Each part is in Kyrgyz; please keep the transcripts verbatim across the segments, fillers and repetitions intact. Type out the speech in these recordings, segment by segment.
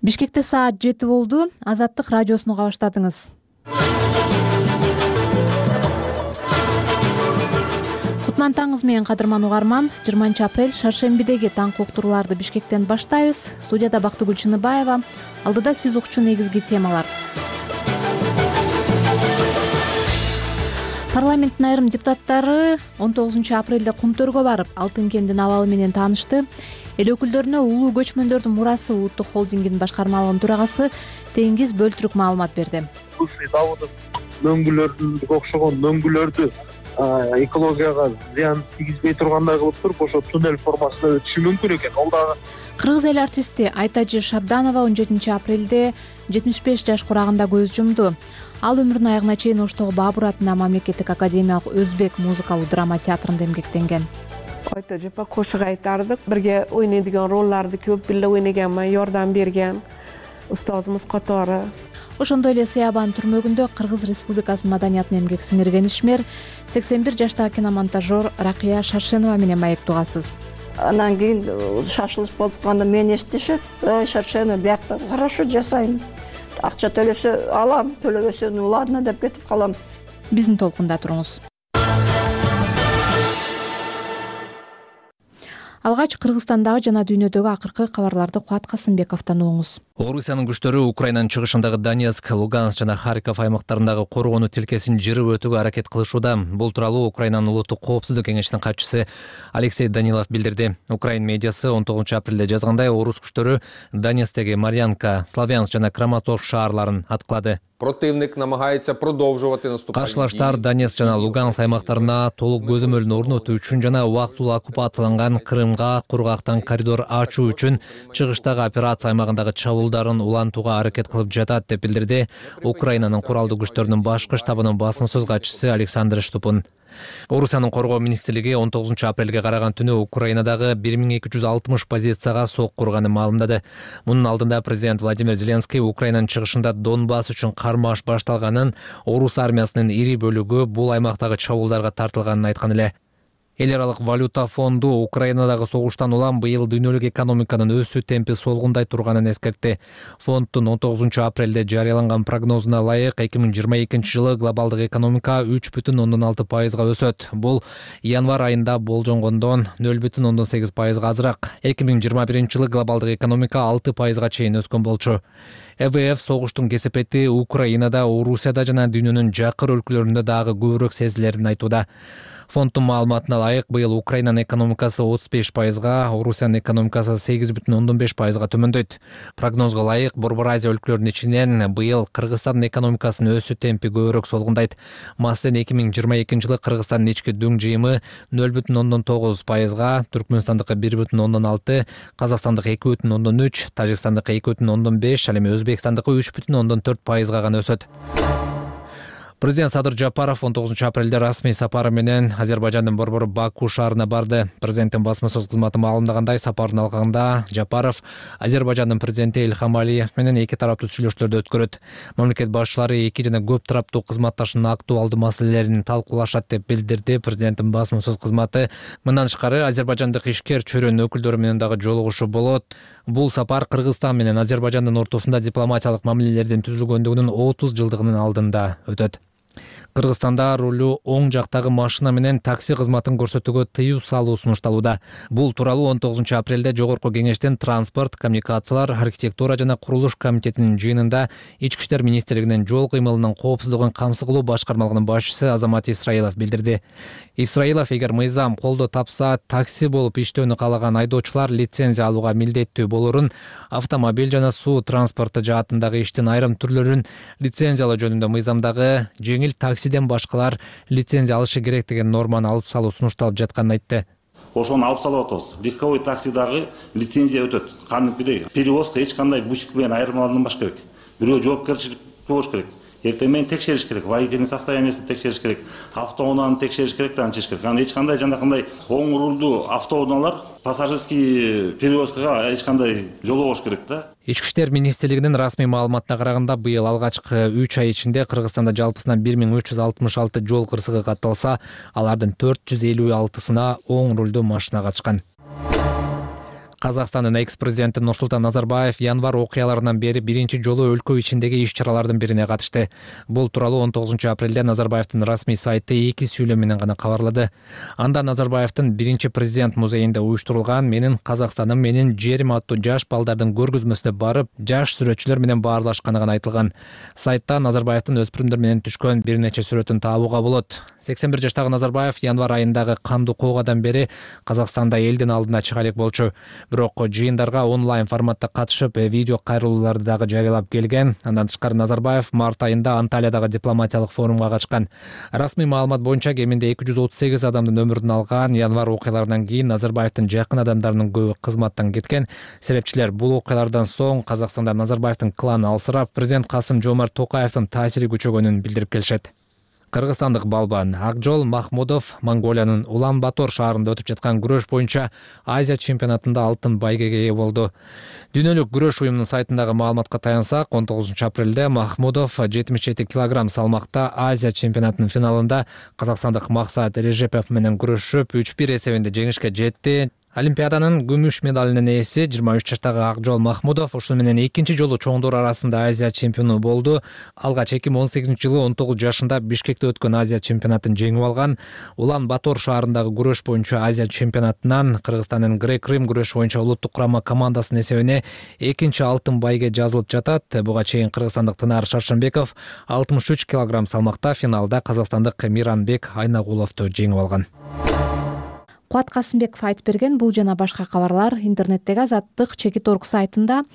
Бишкекте саат жети болду. Азаттык радиосуну уга баштадыңыз. Кутман таңыңыз менен кадырман угарман. жыйырманчы апрель шаршембидеги таңкы уктурууларды Бишкектен баштайбыз. Студияда Бактыгүл Чыныбаева. Алдыда сиз укчу негизги темалар. Парламенттин айрым депутаттары он тогузунчу апрелде Кумтөргө барып, Алтын кендин абалы менен таанышты. Эл өкүлдөрүнө улуу көчмөндөрдүн мурасы улуттук холдингинин башкармалыгынын төрагасы Теңиз Бөлтүрүк маалымат берди. Давудов мөңгүлөргө окшогон мөңгүлөрдү экологияга зыян тийгизбей тургандай кылып туруп, ошо туннель формасында өтүшү мүмкүн экен. Ал дагы Кыргыз эл артисти Айтажы Шабданова он жетинчи апрелде жетимиш беш жаш курагында көз жумду. Ал өмүрүнүн аягына чейин Оштогу Баабур атынын мамлекеттик академиялык өзбек музыкалуу драма театрында эмгектенген. Айтажы апа кошук айтардык, бирге ойнойдуган ролларды көп бирге ойногонмун, жардам берген устозумуз катары. Ошондой эле Сыябан түрмөгүндө Кыргыз Республикасынын маданиятына эмгек сиңирген ишмер сексен бир жаштагы киномонтажер Ракыя Шаршенова менен маектугасыз. Анан кийин шашылыш болуп мен эстешет, Шаршенова биякта хорошо жасайм. Акча төлөсө алам, төлөбөсө ладно деп кетип калам. Биздин толкунда туруңуз. Алгач Кыргызстандагы жана дүйнөдөгү акыркы кабарларды Кубат Касымбековдон угуңуз. Орусиянын күчтөрү Украинанын чыгышындагы Донецк, Луганск жана Харьков аймактарындагы коргонуу тилкесин жырып өтүүгө аракет кылышууда. Бул тууралуу Украинанын улуттук коопсуздук кеңешинин катчысы Алексей Данилов билдирди. Украин медиасы он тогузунчу апрелде жазгандай, орус күчтөрү Донецктеги Марьянка, Славянск жана Краматорск шаарларын аткылады. Противник намагається продовжувати наступальні дії. Кашылаштар Донецк жана Луганск аймактарына толук көзөмөлүн орнотуу үчүн жана убактылуу оккупацияланган Крымга кургактан коридор ачуу үчүн чыгыштагы операция аймагындагы чабуулдарын улантууга аракет кылып жатат деп билдирди Украинанын куралдуу күчтөрүнүн башкы штабынын басма сөз катчысы Александр Штупун. Орусиянын коргоо министрлиги он тогузунчу апрелге караган түнү Украинадагы бир миң эки жүз алтымыш позицияга сок курганын маалымдады. Мунун алдында президент Владимир Зеленский Украинанын чыгышында Донбасс үчүн кармаш башталганын, орус армиясынын ири бөлүгү бул аймактагы чабуулдарга тартылганын айткан эле. Эл аралык валюта фонду Украинадагы согуштан улам быйыл дүйнөлүк экономиканын өсүү темпи солгундай турганын эскертти. Фонддун он тогузунчу апрелде жарыяланган прогнозуна ылайык эки миң жыйырма экинчи жылы глобалдык экономика үч бүтүн ондон алты пайызга өсөт. Бул январь айында болжонгондон нөл бүтүн ондон сегиз пайызга азыраак. эки миң жыйырма биринчи жылы глобалдык экономика алты пайызга чейин өскөн болчу. Э В Ф согуштун кесепети Украинада, Орусияда жана дүйнөнүн жакыр өлкөлөрүндө дагы көбүрөөк сезилерин айтууда. Фонддун маалыматына ылайык, быйыл Украинанын экономикасы отуз беш пайызга, Орусиянын экономикасы сегиз бүтүн ондон беш пайызга төмөндөйт. Прогнозго ылайык, Борбор Азия өлкөлөрүнүн ичинен быйыл Кыргызстандын экономикасынын өсүү темпи көбүрөөк солгундайт. Маселен, эки миң жыйырма экинчи жылы Кыргызстандын ички дүң жыйымы нөл бүтүн ондон тогуз пайызга, Түркмөнстандыкы бир бүтүн ондон алты, Казакстандыкы эки бүтүн ондон үч, Тажикстандыкы эки бүтүн ондон беш, ал эми Өзбекстандыкы үч бүтүн ондон төрт пайызга гана өсөт. Президент Садыр Жапаров он тогузунчу апрелде расмий сапары менен Азербайжандын борбору Баку шаарына барды. Президенттин басма сөз кызматы маалымдагандай, сапардын алкагында Жапаров Азербайжандын президенти Ильхам Алиев менен эки тараптуу сүйлөшүүлөрдү өткөрөт. Мамлекет башчылары эки жана көп тараптуу кызматташуунун актуалдуу маселелерин талкуулашат деп билдирди президенттин басма сөз кызматы. Мындан тышкары Азербайжандык ишкер чөйрөнүн өкүлдөрү менен дагы жолугушуу болот. Бул сапар Кыргызстан менен Азербайжандын ортосунда дипломатиялык мамилелердин түзүлгөндүгүнүн отуз жылдыгынын алдында өтөт. Кыргызстанда рулю оң жактагы машина менен такси кызматын көрсөтүүгө тыюу салуу сунушталууда. Бул тууралуу он тогузунчу апрелде Жогорку кеңештин транспорт, коммуникациялар, архитектура жана курулуш комитетинин жыйынында Ички иштер министрлигинин жол кыймылынын коопсуздугун камсыз кылуу башкармалыгынын башчысы Азамат Исраилов билдирди. Исраилов, эгер мыйзам колдоо тапса, такси болуп иштөөнү каалаган айдоочулар лицензия алууга милдеттүү болорун, автомобиль жана суу транспорту жаатындагы иштин айрым түрлөрүн лицензиялоо жөнүндө мыйзамдагы жеңил таксиден башкалар лицензия алышы керек деген норманы алып салуу сунушталып жатканын айтты. Ошону алып салып атабыз. Легковой таксидагы лицензия өтөт. Кандайдый перевозка эч кандай бусик менен айырмаланбаш керек. Бирөө жоопкерчилик болуш керек. Эртең менен текшериш керек, водительдин состояниясын текшериш керек, автоунааны текшериш керек да анча керек. Аны эч кандай жанакындай оң рулдуу автоунаалар пассажирский перевозкага эч кандай жолобош керек да. Ички иштер министрлигинин расмий маалыматына караганда, быйыл алгачкы үч ай ичинде Кыргызстанда жалпысынан бир миң үч жүз алтымыш алты жол кырсыгы катталса, алардын төрт жүз элүү алтысына оң рулдуу машина катышкан. Казакстандын экс-президенти Нурсултан Назарбаев январь окуяларынан бери биринчи жолу өлкө ичиндеги иш-чаралардын бирине катышты. Бул тууралуу он тогузунчу апрелде Назарбаевдин расмий сайты эки сүйлөм менен гана кабарлады. Анда Назарбаевдин биринчи президент музейинде уюштурулган "Менин Казакстаным, менин жерим" аттуу жаш балдардын көргөзмөсүнө барып, жаш сүрөтчүлөр менен баарлашканы гана айтылган. Сайтта Назарбаевдин өспүрүмдөр менен түшкөн бир нече сүрөтүн табууга болот. сексен бир жаштагы Назарбаев январь айындагы кандуу куугадан бери Казакстанда элдин алдына чыга элек болчу. Бирок жыйындарга онлайн форматта катышып, видео кайрылууларды дагы жарыялап келген. Андан тышкары Назарбаев март айында Анталиядагы дипломатиялык форумга катышкан. Расмий маалымат боюнча кеминде эки жүз отуз сегиз адамдын өмүрүн алган январь окуяларынан кийин Назарбаевдин жакын адамдарынын көбү кызматтан кеткен. Серепчилер бул окуялардан соң Казакстанда Назарбаевдин кланы алсырап, президент Касым Жомарт Токаевдин таасири күчөгөнүн билдирип келишет. Кыргызстандык балбан Акжол Махмудов Монголиянын Улан-Батор шаарында өтүп жаткан күрөш боюнча Азия чемпионатында алтын байгеге ээ болду. Дүйнөлүк күрөш уюмунун сайтындагы маалыматка таянсак, он тогузунчу апрелде Махмудов жетимиш жети килограмм салмакта Азия чемпионатынын финалында казакстандык Максат Режепов менен күрөшүп үч бир эсебинде жеңишке жетти. Олимпиаданын күмүш медалынын ээси жыйырма үч жаштагы Акжол Махмудов ушуну менен экинчи жолу чоңдор арасында Азия чемпиону болду. Алгач эки миң он сегизинчи жылы он тогуз жашында Бишкекте өткөн Азия чемпионатын жеңип алган. Улан-Батор шаарындагы күрөш боюнча Азия чемпионатынан Кыргызстандын грек-рим күрөш боюнча улуттук курама командасынын эсебине экинчи алтын байге жазылып жатат. Буга чейин кыргызстандык Тынар Шаршенбеков алтымыш үч килограмм салмакта финалда казакстандык Миранбек Айнагуловду жеңип алган. Куат Касымбеков айтып берген бул жана башка кабарлар интернеттеги Азаттык чекит орг сайтында.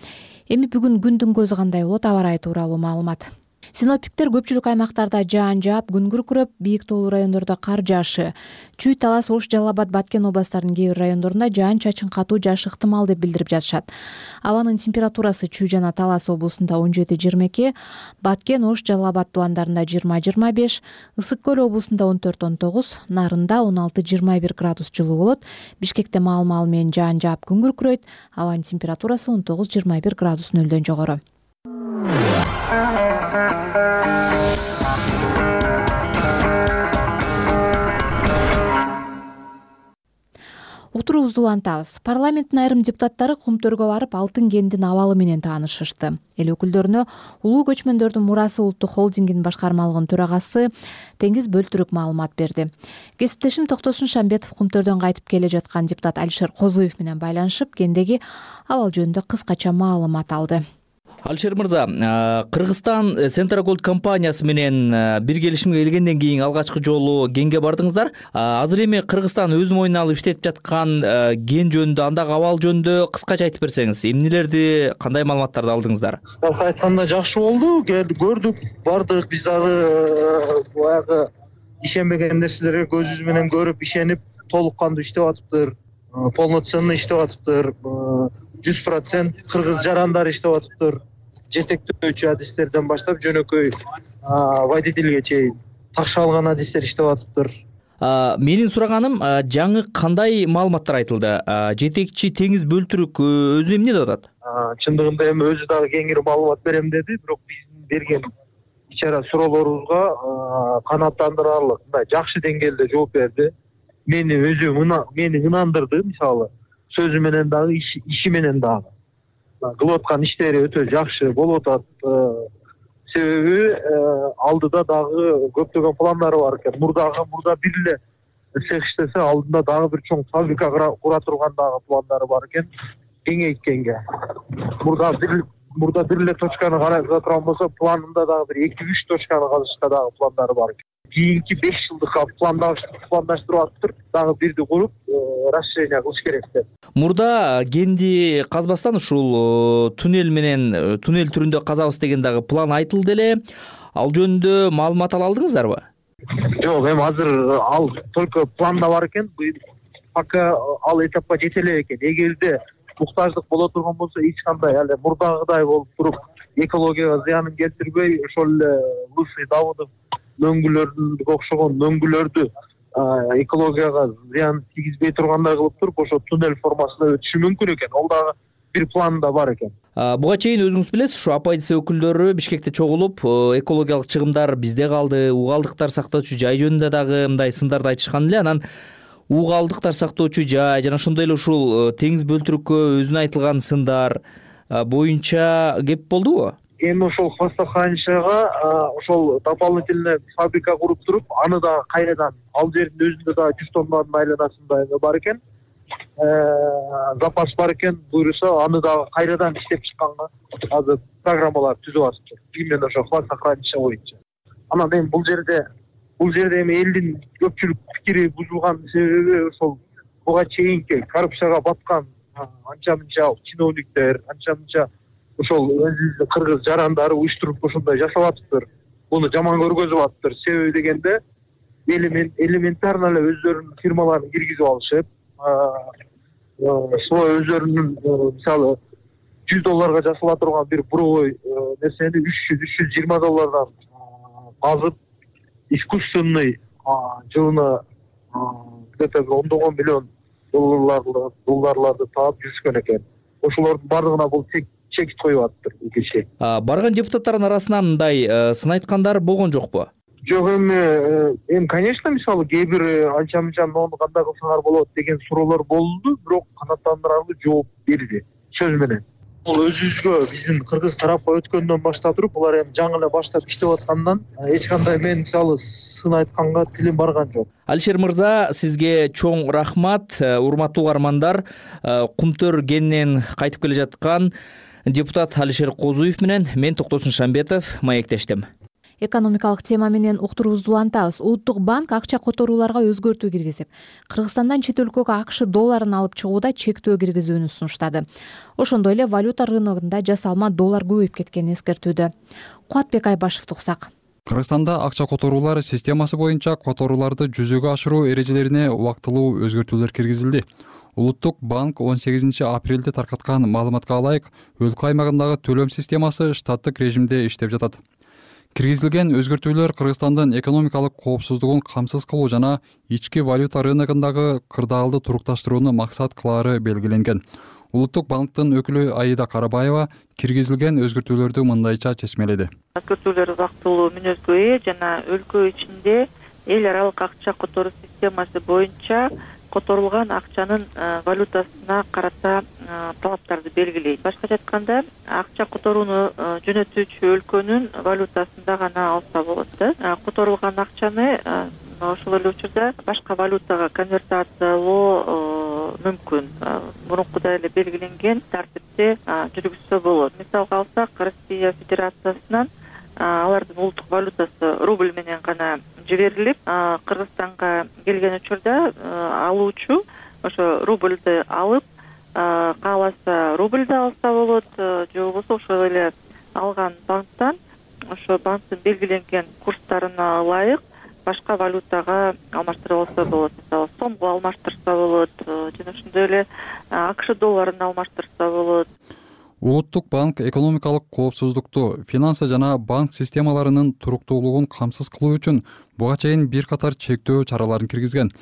Эми бүгүн күндүн көзү кандай болот, аба ырайы тууралуу маалымат. Синоптиктер көпчүлүк аймактарда жаан жаап, күн күркүрөп, бийик тоолуу райондордо кар жаашы, Чүй, Талас, Ош, Жалал Абад, Баткен областтарынын кээ бир райондорунда жаан чачын катуу жаашы ыктымал деп билдирип жатышат. Абанын температурасы Чүй жана Талас облусунда он жети жыйырма эки, Баткен, Ош, Жалал Абад тубандарында жыйырма жыйырма беш, Ысык көл облусунда он төрт он тогуз, Нарында он алты жыйырма бир градус жылуу болот. Бишкекте маал-маал менен жаан жаап, күн күркүрөйт. Абанын температурасы он тогуз жыйырма бир градус нөлдөн жогору. Утурубузду улантабыз. Парламенттин айрым депутаттары Кумтөргө барып, алтын кендин абалы менен таанышышты. Эл өкүлдөрүнө улуу көчмөндөрдүн мурасы улуттук холдингинин башкармалыгынын төрагасы Теңиз Бөлтүрүк маалымат берди. Кесиптешим Токтосун Шамбетов Кумтөрдөн кайтып келе жаткан депутат Алишер Козуев менен байланышып, кендеги абал жөнүндө кыскача маалымат алды. Алишер мырза, Кыргызстан Центр Голд компаниясы менен бир келишимге келгенден кийин алгачкы жолу кенге бардыңыздар. Азыр эми Кыргызстан өз мойнуна алып иштетип жаткан кен жөнүндө, андагы абал жөнүндө кыскача айтып берсеңиз, эмнелерди, кандай маалыматтарды алдыңыздар? Кыскача айтканда жакшы болду, көрдүк, бардык, биз дагы баягы ишенбеген нерселерге көзүбүз менен көрүп, ишенип, толук кандуу иштеп атыптыр, полноценный иштеп атыптыр, жүз процент кыргыз жарандар иштеп атыптыр. Жетектөөчү адистерден баштап жөнөкөй водительге чейин такшалган адистер иштеп атыптыр. Менин сураганым, жаңы кандай маалыматтар айтылды? Жетекчи Теңиз Бөлтүрүк өзү эмне деп атат? Чындыгында эми өзү дагы кеңири маалымат берем деди, бирок биздин берген ичара суроолорубузга канааттандырарлык, мындай жакшы деңгээлде жооп берди. Мени өзү мени ынандырды, мисалы, сөзү менен дагы, иши менен дагы. Кылып аткан иштери өтө жакшы болуп атат. Себеби алдыда дагы көптөгөн пландары бар экен. Мурдагы мурда бир эле цех иштесе, алдында дагы бир чоң фабрика кура турган дагы пландары бар экен. Кеңейткенге. Мурда бир мурда бир эле точканы карата турган болсо, планында дагы бир эки үч точканы казышка дагы пландары бар экен. Кийинки беш жылдыкка пландаштырып атыптыр, дагы бирди куруп, расширение кылыш керек деп. Мурда кенди казбастан ушул туннель менен туннель түрүндө казабыз деген дагы план айтылды эле. Ал жөнүндө маалымат ала алдыңыздарбы? Жок, эми азыр ал только планда бар экен. Пока ал этапка жете эле экен. Эгерде муктаждык боло турган болсо, эч кандай эле мурдагыдай болуп туруп, экологияга зыянын келтирбей, ошол эле Лысый Давыдов мөңгүлөрдү окшогон мөңгүлөрдү экологияга зыян тийгизбей тургандай кылып туруп, ошо туннель формасында өтүшү мүмкүн экен. Ол дагы бир планда бар экен. Буга чейин өзүңүз билесиз, ушу оппозиция өкүлдөрү Бишкекте чогулуп, экологиялык чыгымдар бизде калды, угалдыктар сактоочу жай жөнүндө дагы мындай сындарды айтышкан эле. Анан уу калдыктар сактоочу жай жана ошондой эле ушул теңиз бөлтүрүккө өзүнө айтылган сындар боюнча кеп болдубу? Эми ошол хвостохранилищага ошол дополнительный фабрика куруп туруп, аны дагы кайрадан ал жердин өзүндө дагы жүз тоннанын айланасында бар экен. Запас бар экен, буюрса аны дагы кайрадан иштеп чыкканга азыр программалар түзүп атышты. Именно ошо хвостохранилище боюнча. Анан эми бул жерде бул жерде эми элдин көпчүлүк пикири бузулган себеби ошол буга чейинки коррупцияга баткан анча мынча чиновниктер, анча мынча ошол өзүбүздүн кыргыз жарандары уюштуруп ошондой жасап атыптыр. Буну жаман көргөзүп атыптыр. Себеби дегенде элементарно эле өздөрүнүн фирмаларын киргизип алышып, свой өздөрүнүн мисалы жүз долларга жасала турган бир буровой нерсени үч жүз үч жүз жыйырма доллардан казып, искусственный жылына где-то ондогон миллион долларларды таап жүрүшкөн экен. Ошолордун бардыгына бул чекит коюп атыптыр бул киши. Барган депутаттардын арасынан мындай сын айткандар болгон жокпу? Жок, эми эми конечно, мисалы кээ бир анча мынча нону кандай кылсаңар болот деген суроолор болду, бирок канааттандырарлык жооп берди сөз менен. Бул өзүбүзгө биздин кыргыз тарапка өткөндөн баштап туруп, булар эми жаңы эле баштап иштеп аткандан эч кандай мен мисалы сын айтканга тилим барган жок. Алишер мырза, сизге чоң рахмат. Урматтуу угармандар, Кумтөр кенинен кайтып келе жаткан депутат Алишер Козуев менен мен Токтосун Шамбетов маектештим. Экономикалык тема менен уктуруубузду улантабыз. Улуттук банк акча которууларга өзгөртүү киргизип, Кыргызстандан чет өлкөгө АКШ долларын алып чыгууда чектөө киргизүүнү сунуштады. Ошондой эле валюта рыногунда жасалма доллар көбөйүп кеткенин эскертүүдө. Кубатбек Айбашевди уксак. Кыргызстанда акча которуулар системасы боюнча которууларды жүзөгө ашыруу эрежелерине убактылуу өзгөртүүлөр киргизилди. Улуттук банк он сегизинчи апрелде таркаткан маалыматка ылайык, өлкө аймагындагы төлөм системасы штаттык режимде иштеп жатат. Киргизилген өзгөртүүлөр Кыргызстандын экономикалык коопсуздугун камсыз кылуу жана ички валюта рыногундагы кырдаалды турукташтырууну максат кылаары белгиленген. Улуттук банктын өкүлү Аида Карабаева киргизилген өзгөртүүлөрдү мындайча чечмеледи. Өзгөртүүлөр убактылуу мүнөзгө ээ жана өлкө ичинде эл аралык акча которуу системасы боюнча которулган акчанын валютасына карата талаптарды белгилейт. Башкача айтканда, акча которууну жөнөтүүчү өлкөнүн валютасында гана алса болот да. Которулган акчаны ошол эле учурда башка валютага конвертациялоо мүмкүн. Мурункудай эле белгиленген тартипте жүргүзсө болот. Мисалга алсак, Россия Федерациясынан алардын улуттук валютасы рубль менен гана жиберилип, Кыргызстанга келген учурда алуучу ошо рубльды алып, кааласа рубльды алса болот, же болбосо ошол эле алган банктан ошо банктын белгиленген курстарына ылайык башка валютага алмаштырып алса болот. Мисалы, сомго алмаштырса болот, жана ошондой эле АКШ долларын алмаштырса болот. Улуттук банк экономикалык коопсуздукту, финансы жана банк системаларынын туруктуулугун камсыз кылуу үчүн буга чейин бир катар чектөө чараларын киргизген.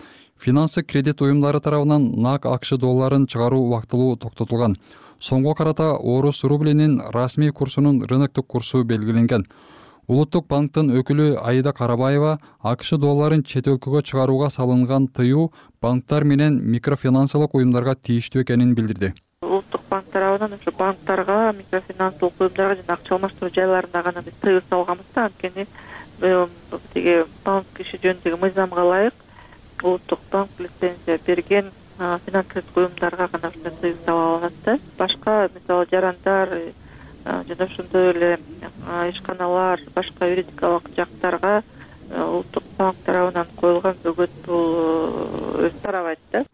Финансы кредит уюмдары тарабынан нак АКШ долларын чыгаруу убактылуу токтотулган. Сомго карата орус рублинин расмий курсунун рыноктук курсу белгиленген. Улуттук банктын өкүлү Аида Карабаева АКШ долларын чет өлкөгө чыгарууга салынган тыюу банктар менен микрофинансылык уюмдарга тийиштүү экенин билдирди. Улуттук банк тарабынан ошо банктарга, микрофинансылык уюмдарга жана акча алмаштыруу жайларына гана биз тыюу салганбыз да. Анткени тиги банк иши жөнүндөгү мыйзамга ылайык улуттук банк лицензия берген финансылык уюмдарга гана ушундай тыюу сала алат да. Башка мисалы жарандар жана ошондой эле ишканалар, башка юридикалык жактарга улуттук банк тарабынан коюлган бөгөт бул өз тарабайт да.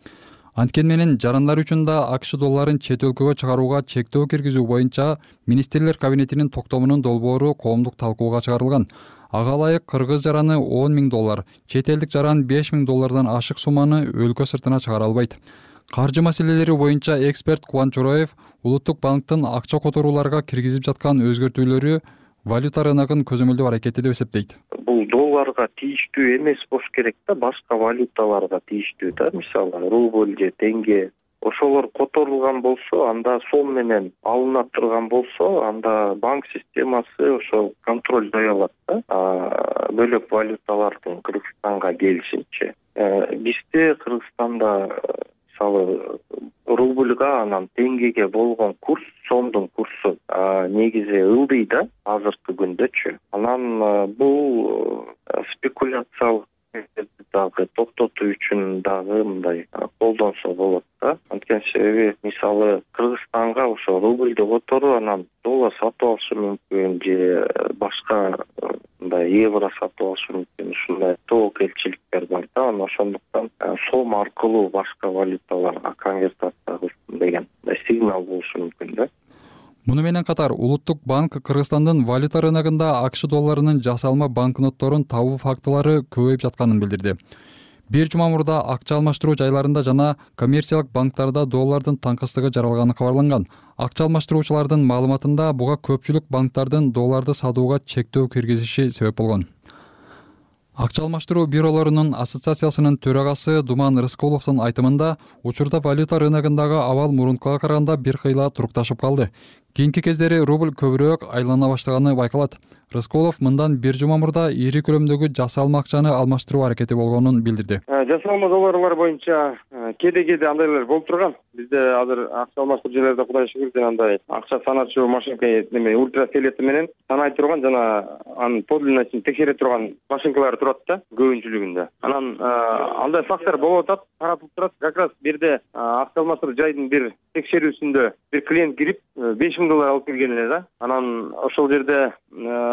Анткени менен жарандар үчүн да АКШ долларын чет өлкөгө чыгарууга чектөө киргизүү боюнча министрлер кабинетинин токтомунун долбоору коомдук талкууга чыгарылган. Ага ылайык кыргыз жараны он миң доллар, чет элдик жаран беш миң доллардан ашык сумманы өлкө сыртына чыгара албайт. Каржы маселелери боюнча эксперт Кубан Чороев Улуттук банктын акча которууларга киргизип жаткан өзгөртүүлөрү валюта рыногун көзөмөлдөө аракети деп эсептейт. Бул долларга тийиштүү эмес болуш керек да, башка валюталарга тийиштүү да, мисалы рубль же тенге. Ошолор которулган болсо, анда сом менен алына турган болсо, анда банк системасы ошол контролдой алат да. Бөлөк валюталардын Кыргызстанга келишинче. бизде Кыргызстанда мисалы рубльга анан теңгеге болгон курс, сомдун курсу негизи ылдый да азыркы күндөчү. Анан бул спекуляциялык дагы токтотуу үчүн дагы мындай колдонсо болот да. Анткени себеби мисалы Кыргызстанга ошо рубльдү которуп анан доллар сатып алышы мүмкүн же башка мындай евро сатып алышы мүмкүн, ушундай тобокелчиликтер бар да. Анан ошондуктан сом аркылуу башка валюталарга конвертация кылсын деген сигнал болушу мүмкүн да. Муну менен катар Улуттук банк Кыргызстандын валюта рыногунда акш долларынын жасалма банкнотторун табуу фактылары көбөйүп жатканын билдирди. Бир жума мурда акча алмаштыруу жайларында жана коммерциялык банктарда доллардын таңкыстыгы жаралганы кабарланган. Акча алмаштыруучулардын маалыматында буга көпчүлүк банктардын долларды сатууга чектөө киргизиши себеп болгон. Акча алмаштыруу бюролорунун ассоциациясынын төрагасы Думан Рыскуловдун айтымында, учурда валюта рыногундагы абал мурункуга караганда бир кыйла турукташып калды. Кийинки кездери рубль көбүрөөк айлана баштаганы байкалат. Рыскулов мындан бир жума мурда ири көлөмдөгү жасалма акчаны алмаштыруу аракети болгонун билдирди. Жасалма долларлар боюнча кээде-кээде андайлар болуп турган. Бизде азыр акча алмаштыруу жерлерде Кудай шүгүр андай акча саначу машинка неме ультрафиолеты менен санай турган жана анын подлинностун текшере турган машинкалар турат да көбүнчүлүгүндө. Анан андай фактор болуп атат, таратылып турат. Как раз бирде акча алмаштыруу жайдын бир текшерүүсүндө бир клиент кирип беш миң доллар алып келген эле да. Анан ошол жерде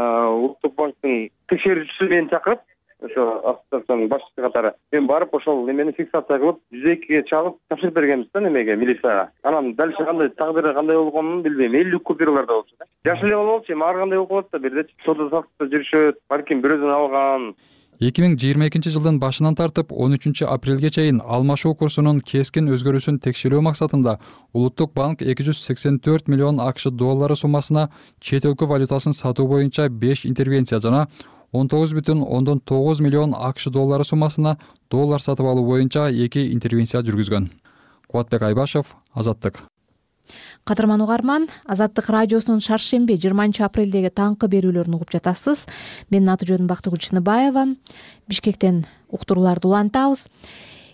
Улуттук банктын текшерүүчүсү мени чакырып, ошо ассоциациянын башчысы катары мен барып ошол немени фиксация кылып жүз экиге чалып тапшырып бергенбиз да немеге, милицияга. Анан дальше кандай тагдыры кандай болгонун билбейм. элүү купюралар да болчу да. Жакшы эле болчу, эми ар кандай болуп калат да, бирде соода саттыкта жүрүшөт, балким бирөөдөн алган. эки миң жыйырма экинчи жылдын башынан тартып он үчүнчү апрелге чейин алмашуу курсунун кескин өзгөрүүсүн текшерүү максатында Улуттук банк эки жүз сексен төрт миллион акш доллары суммасына чет өлкө валютасын сатуу боюнча беш интервенция жана он тогуз бүтүн ондон тогуз миллион акш доллары суммасына доллар сатып алуу боюнча эки интервенция жүргүзгөн. Кубатбек Айбашев, Азаттык. Кадырман угарман, Азаттык радиосунун шаршемби жыйырманчы апрелдеги таңкы берүүлөрүн угуп жатасыз. Менин аты жөнүм Бактыгүл Чыныбаева. Бишкектен уктурууларды улантабыз.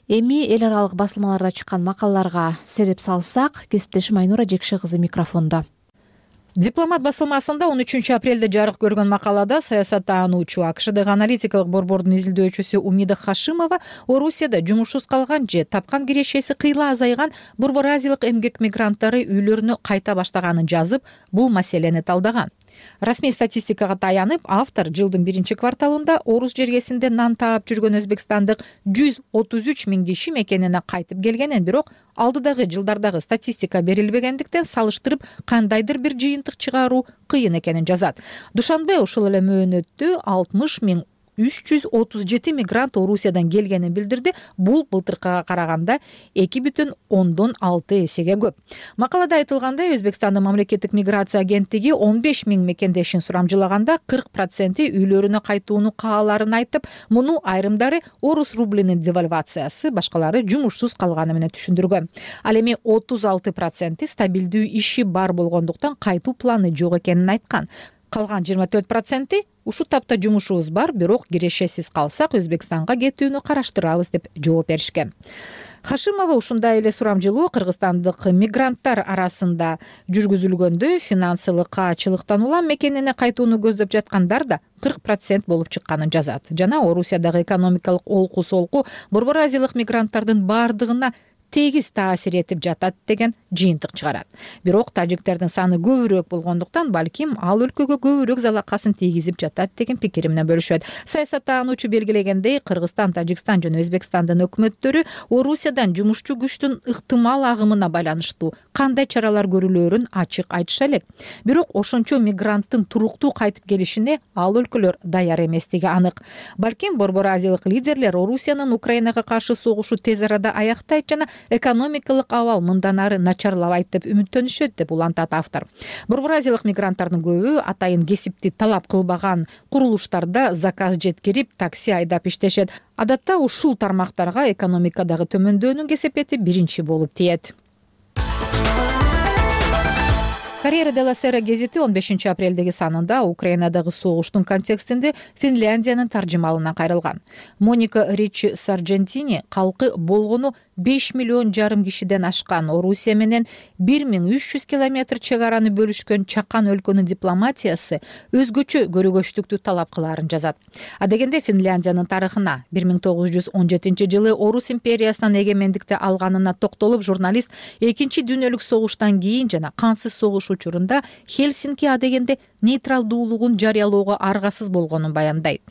Эми эл аралык басылмаларда чыккан макалаларга сереп салсак, кесиптешим Айнура Жекше кызы микрофондо. Дипломат басылмасында он үчүнчү апрелде жарык көргөн макалада саясаттануучу АКШдагы аналитикалык борбордун изилдөөчүсү Умида Хашимова Орусияда жумушсуз калган же тапкан кирешеси кыйла азайган борбор азиялык эмгек мигранттары үйлөрүнө кайта баштаганын жазып, бул маселени талдаган. Расмий статистикага таянып, автор жылдын биринчи кварталында Орус жергесинде нан таап жүргөн өзбекстандык жүз отуз үч миң киши мекенине кайтып келгенин, бирок алдыдагы жылдардагы статистика берилбегендиктен салыштырып кандайдыр бир жыйынтык чыгаруу кыйын экенин жазат. Душанбе ушул эле мөөнөттө алтымыш миң үч жүз отуз жети мигрант Орусиядан келгенин билдирди. Бул былтыркыга караганда эки бүтүн ондон алты эсеге көп. Макалада айтылгандай, Өзбекстандын мамлекеттик миграция агенттиги он беш миң мекендешин сурамжылаганда кырк проценти үйлөрүнө кайтууну кааларын айтып, муну айрымдары орус рублинин девальвациясы, башкалары жумушсуз калганы менен түшүндүргөн. Ал эми отуз алты проценти стабилдүү иши бар болгондуктан кайтуу планы жок экенин айткан. Калган жыйырма төрт проценти ушул тапта жумушубуз бар, бирок кирешесиз калсак Өзбекстанга кетүүнү караштырабыз деп жооп беришкен. Хашимова ушундай эле сурамжылоо кыргызстандык мигранттар арасында жүргүзүлгөндө финансылык каачылыктан улам мекенине кайтууну көздөп жаткандар да кырк процент болуп чыкканын жазат. Жана Орусиядагы экономикалык олку солку борбор азиялык мигранттардын бардыгына тегиз таасир этип жатат деген жыйынтык чыгарат. Бирок тажиктердин саны көбүрөөк болгондуктан балким ал өлкөгө көбүрөөк залакасын тийгизип жатат деген пикир менен бөлүшөт. Саясаттануучу белгилегендей, Кыргызстан, Тажикстан жана Өзбекстандын өкмөттөрү Орусиядан жумушчу күчтүн ыктымал агымына байланыштуу кандай чаралар көрүлөрүн ачык айтыша элек. Бирок ошончо мигранттын туруктуу кайтып келишине ал өлкөлөр даяр эместиги анык. Балким борбор азиялык лидерлер Орусиянын Украинага каршы согушу тез арада аяктайт жана экономикалык абал мындан ары начарлабайт деп үмүттөнүшөт деп улантат автор. Борбор азиялык мигранттардын көбү атайын кесипти талап кылбаган курулуштарда заказ жеткирип, такси айдап иштешет. Адатта ушул тармактарга экономикадагы төмөндөөнүн кесепети биринчи болуп тиет. Corriere della Sera гезити он бешинчи апрелдеги санында Украинадагы согуштун контекстинде Финляндиянын таржымалына кайрылган. Моника Ричи Сарджентини калкы болгону беш миллион жарым кишиден ашкан Орусия менен бир миң үч жүз километр чек араны бөлүшкөн чакан өлкөнүн дипломатиясы өзгөчө көрөгөчтүктү талап кылаарын жазат. Адегенде Финляндиянын тарыхына бир миң тогуз жүз он жетинчи жылы Орус империясынан эгемендикти алганына токтолуп, журналист экинчи дүйнөлүк согуштан кийин жана кансыз согуш учурунда Хельсинки адегенде нейтралдуулугун жарыялоого аргасыз болгонун баяндайт.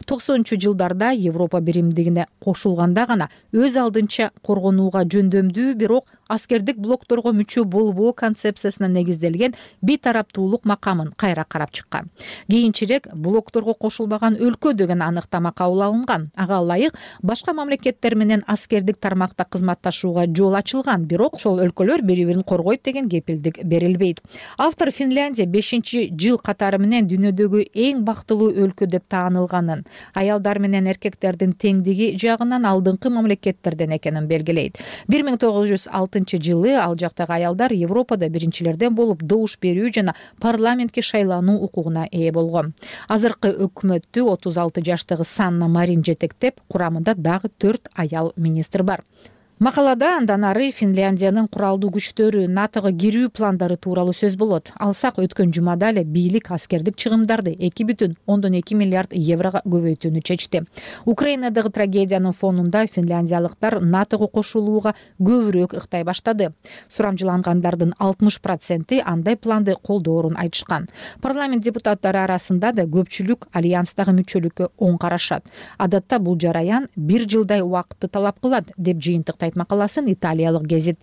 токсонунчу жылдарда Европа биримдигине кошулганда гана өз алдынча коргонууга жөндөмдүү, бирок аскердик блокторго мүчө болбоо концепциясына негизделген бейтараптуулук макамын кайра карап чыккан. Кийинчерээк блокторго кошулбаган өлкө деген аныктама кабыл алынган. Ага ылайык башка мамлекеттер менен аскердик тармакта кызматташууга жол ачылган, бирок ошол өлкөлөр бири-бирин коргойт деген кепилдик берилбейт. Автор Финляндия бешинчи жыл катары менен дүйнөдөгү эң бактылуу өлкө деп таанылганын, аялдар менен эркектердин теңдиги жагынан алдыңкы мамлекеттерден экенин белгилейт. бир миң тогуз жүз алтынчы жылы ал жактагы аялдар Европада биринчилерден болуп добуш берүү жана парламентке шайлануу укугуна ээ болгон. Азыркы өкмөттү отуз алты жаштагы Санна Марин жетектеп, курамында дагы төрт аял министр бар. Макалада андан ары Финляндиянын куралдуу күчтөрү НАТОго кирүү пландары тууралуу сөз болот. Алсак, өткөн жумада эле бийлик аскердик чыгымдарды эки бүтүн ондон эки миллиард еврого көбөйтүүнү чечти. Украинадагы трагедиянын фонунда финляндиялыктар НАТОго кошулууга көбүрөөк ыктай баштады. Сурамжылангандардын алтымыш проценти андай планды колдоорун айтышкан. Парламент депутаттары арасында да көпчүлүк альянстагы мүчөлүккө оң карашат. Адатта бул жараян бир жылдай убакытты талап кылат, деп жыйынтыктайт макаласын италиялык гезит.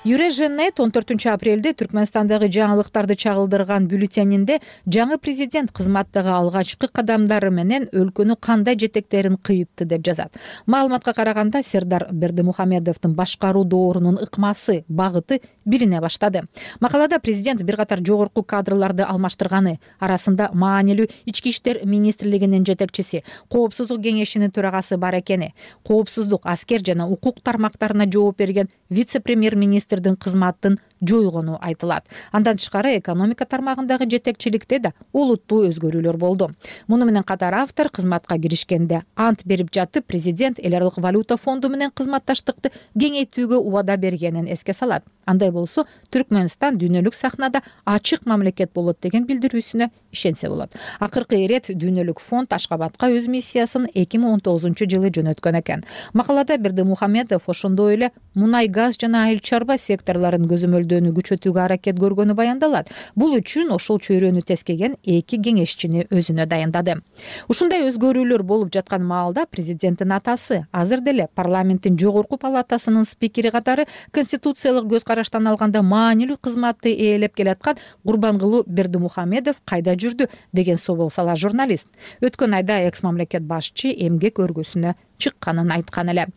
Юреженет он төртүнчү апрелде Түркмөнстандагы жаңылыктарды чагылдырган бюллетенинде жаңы президент кызматтагы алгачкы кадамдары менен өлкөнү кандай жетектерин кыйытты деп жазат. Маалыматка караганда Сердар Бердимухамедовдун башкаруу доорунун ыкмасы, багыты билине баштады. Макалада президент бир катар жогорку кадрларды алмаштырганы, арасында маанилүү ички иштер министрлигинин жетекчиси, коопсуздук кеңешинин төрагасы бар экени, коопсуздук, аскер жана укук тармактарына жооп берген вице-премьер-министр кызматтын жойгону айтылат. Андан тышкары экономика тармагындагы жетекчиликте да олуттуу өзгөрүүлөр болду. Муну менен катар автор кызматка киришкенде ант берип жатып, президент эл аралык валюта фонду менен кызматташтыкты кеңейтүүгө убада бергенин эске салат. Андай болсо, Түркмөнстан дүйнөлүк сахнада ачык мамлекет болот деген билдирүүсүнө ишенсе болот. Акыркы ирет дүйнөлүк фонд Ашкабадка өз миссиясын эки миң он тогузунчу жылы жөнөткөн экен. Макалада Бердимухамедов ошондой эле мунай газ жана айыл чарба секторлорун көзөмөлдөөнү күчөтүүгө аракет көргөнү баяндалат. Бул үчүн ошол чөйрөнү тескеген эки кеңешчини өзүнө дайындады. Ушундай өзгөрүүлөр болуп жаткан маалда президенттин атасы азыр деле парламенттин жогорку палатасынын спикери катары конституциялык көз караштан алганда маанилүү кызматты ээлеп келаткан Гурбангулу Бердимухамедов кайда жүрдү деген собол салат журналист. Өткөн айда экс мамлекет башчы эмгек өргөсүнө чыкканын айткан эле.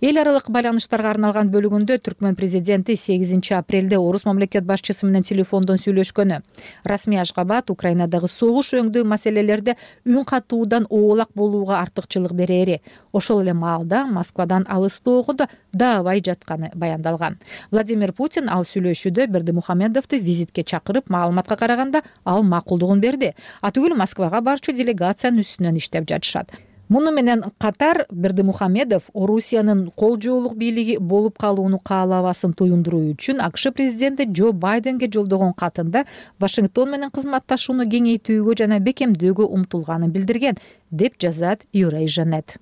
Эл аралык байланыштарга арналган бөлүгүндө Түркмөн президенти сегизинчи апрелде Орус мамлекет башчысы менен телефондон сүйлөшкөнү. Расмий Ашгабад Украинадагы согуш өңдүү маселелерде үн катуудан оолак болууга артыкчылык берери, ошол эле маалда Москвадан алыстоого да даабай жатканы баяндалган. Владимир Путин ал сүйлөшүүдө Бердимухамедовду визитке чакырып, маалыматка караганда ал макулдугун берди. Атүгүл Москвага барчу делегациянын үстүнөн иштеп жатышат. Муну менен катар Бердимухамедов Орусиянын кол жоолук бийлиги болуп калууну каалабасын туюндуруу үчүн АКШ президенти Джо Байденге жолдогон катында Вашингтон менен кызматташууну кеңейтүүгө жана бекемдөөгө умтулганын билдирген, деп жазат Юреженет.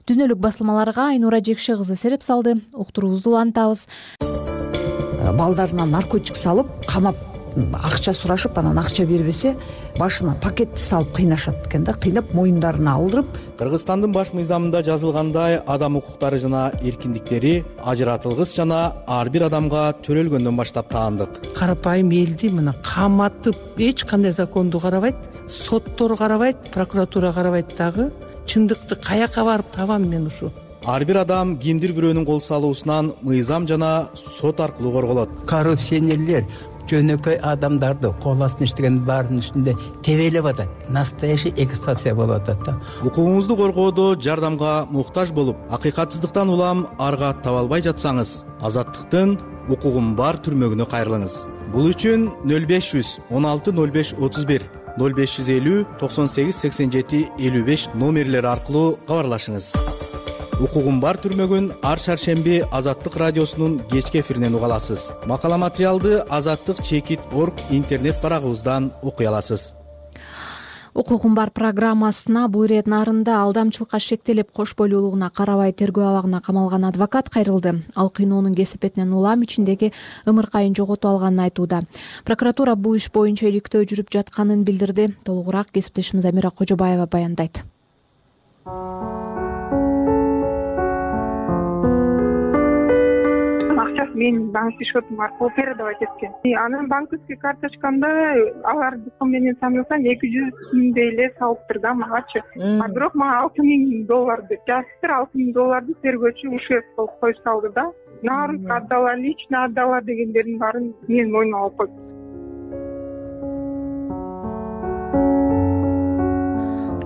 Дүйнөлүк басылмаларга Айнура Жекше кызы сереп салды. Уктуруубузду улантабыз. Балдарына наркотик салып, камап акча сурашып, анан акча бербесе, башына пакетти салып кыйнашат экен да, кыйнап моюндарына алдырып. Кыргызстандын баш мыйзамында жазылгандай, адам укуктары жана эркиндиктери ажыратылгыс жана ар бир адамга төрөлгөндөн баштап таандык. Карапайым элди мына каматып, эч кандай законду карабайт, соттор карабайт, прокуратура карабайт дагы. Чындыкты каяка барып табам мен ушу? Ар бир адам кимдир бирөөнүн кол салуусунан мыйзам жана сот аркылуу корголот. Коррупционерлер жөнөкөй адамдарды кол астында иштеген баарынын үстүндө тебелеп атат. Настоящий эксплуатация болуп атат да. Укугуңузду коргоодо жардамга муктаж болуп, акыйкатсыздыктан улам арга таба албай жатсаңыз, Азаттыктын укугум бар түрмөгүнө кайрылыңыз. Бул үчүн нөл беш жүз он алты нөл беш отуз бир, нөл беш жүз элүү токсон сегиз сексен жети элүү беш номерлери аркылуу кабарлашыңыз. Укугум бар түрмөгүн ар шаршемби Азаттык радиосунун кечки эфиринен уга аласыз. Макала материалды азаттык чекит точка орг интернет барагыбыздан окуй аласыз. Укугум бар программасына бул ирет нарында алдамчылыкка шектелип кош бойлуулугуна карабай тергөө абагына камалган адвокат кайрылды. Ал кыйноонун кесепетинен улам ичиндеги ымыркайын жоготуп алганын айтууда. Прокуратура бул иш боюнча иликтөө жүрүп жатканын билдирди. Толугураак кесиптешimiz Амира Кожобаева баяндайт. Менин банктык счетум аркылуу передавать эткен. Анан банковский карточкамда алардыкы менен санасам эки жүз миңдей эле салыптыр да магачы. А бирок мага алты миң доллар деп жазыптыр. алты миң долларды тергөөчү ушев кылып коюп салды да. Нарынга отдала, лично отдала дегендердин баарын менин мойнума алып койду.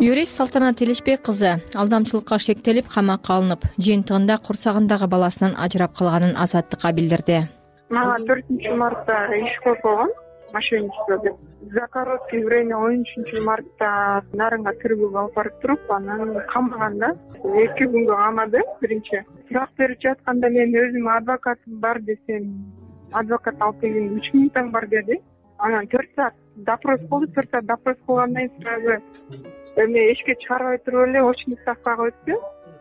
Юрист Салтанат Иличбек кызы алдамчылыкка шектелип камакка алынып, жыйынтыгында курсагындагы баласынан ажырап калганын Азаттыкка билдирди. Мага төртүнчү мартта иш коюп койгон, мошенничество деп. За короткое время он үчүнчү мартта Нарынга тергөөгө алып барып туруп, анан камаган да. эки күнгө камады биринчи. Сурак берип жатканда мен өзүм адвокатым бар десем, адвокат алып келген үч мүнөттөн бар деди. Анан төрт саат допрос болду, төрт саат допрос кылгандан кийин сразу эме эшикке чыгарбай туруп эле очный ставкага өттү.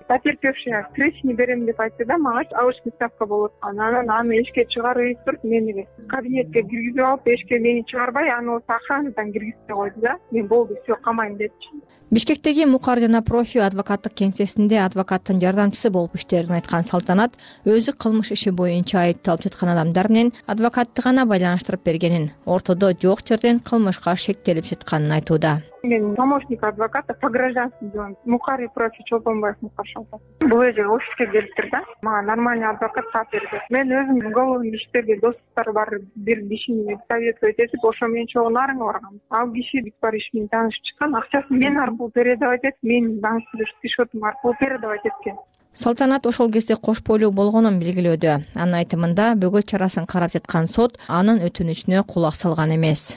Потерпевшая встречный берем деп айтты да, мага очный ставка болот. Анан аны эшикке чыгарып туруп, мени кабинетке киргизип алып, эшикке мени чыгарбай, аны осы охранадан киргизип койду да. Мен болду, все, камайм депчи. Бишкектеги Мукар жана Профи адвокаттык кеңсесинде адвокаттын жардамчысы болуп иштээрин айткан Салтанат өзү кылмыш иши боюнча айыпталып жаткан адамдар менен адвокатты гана байланыштырып бергенин, ортодо жок жерден кылмышка шектелип жатканын айтууда. Мен помощник адвоката по гражданству делаем. Мукар и Профи Чолпонбаев Мукар Шалпат. Бул жерге офиске келиптир да. Мага нормальный адвокат таап берди. Мен өзүм уголовный иштерге достуктар бар бир кишини советовать этип, ошо менен чогуу Нарынга баргам. Ал киши бүт бар иш менен таанышып чыккан, акчасын мен аркылуу передавать этип, менин банктык счетум аркылуу передавать эткен. Салтанат ошол кезде кош бойлуу болгонун белгилөөдө. Анын айтымында бөгөт чарасын карап жаткан сот анын өтүнүчүнө кулак салган эмес.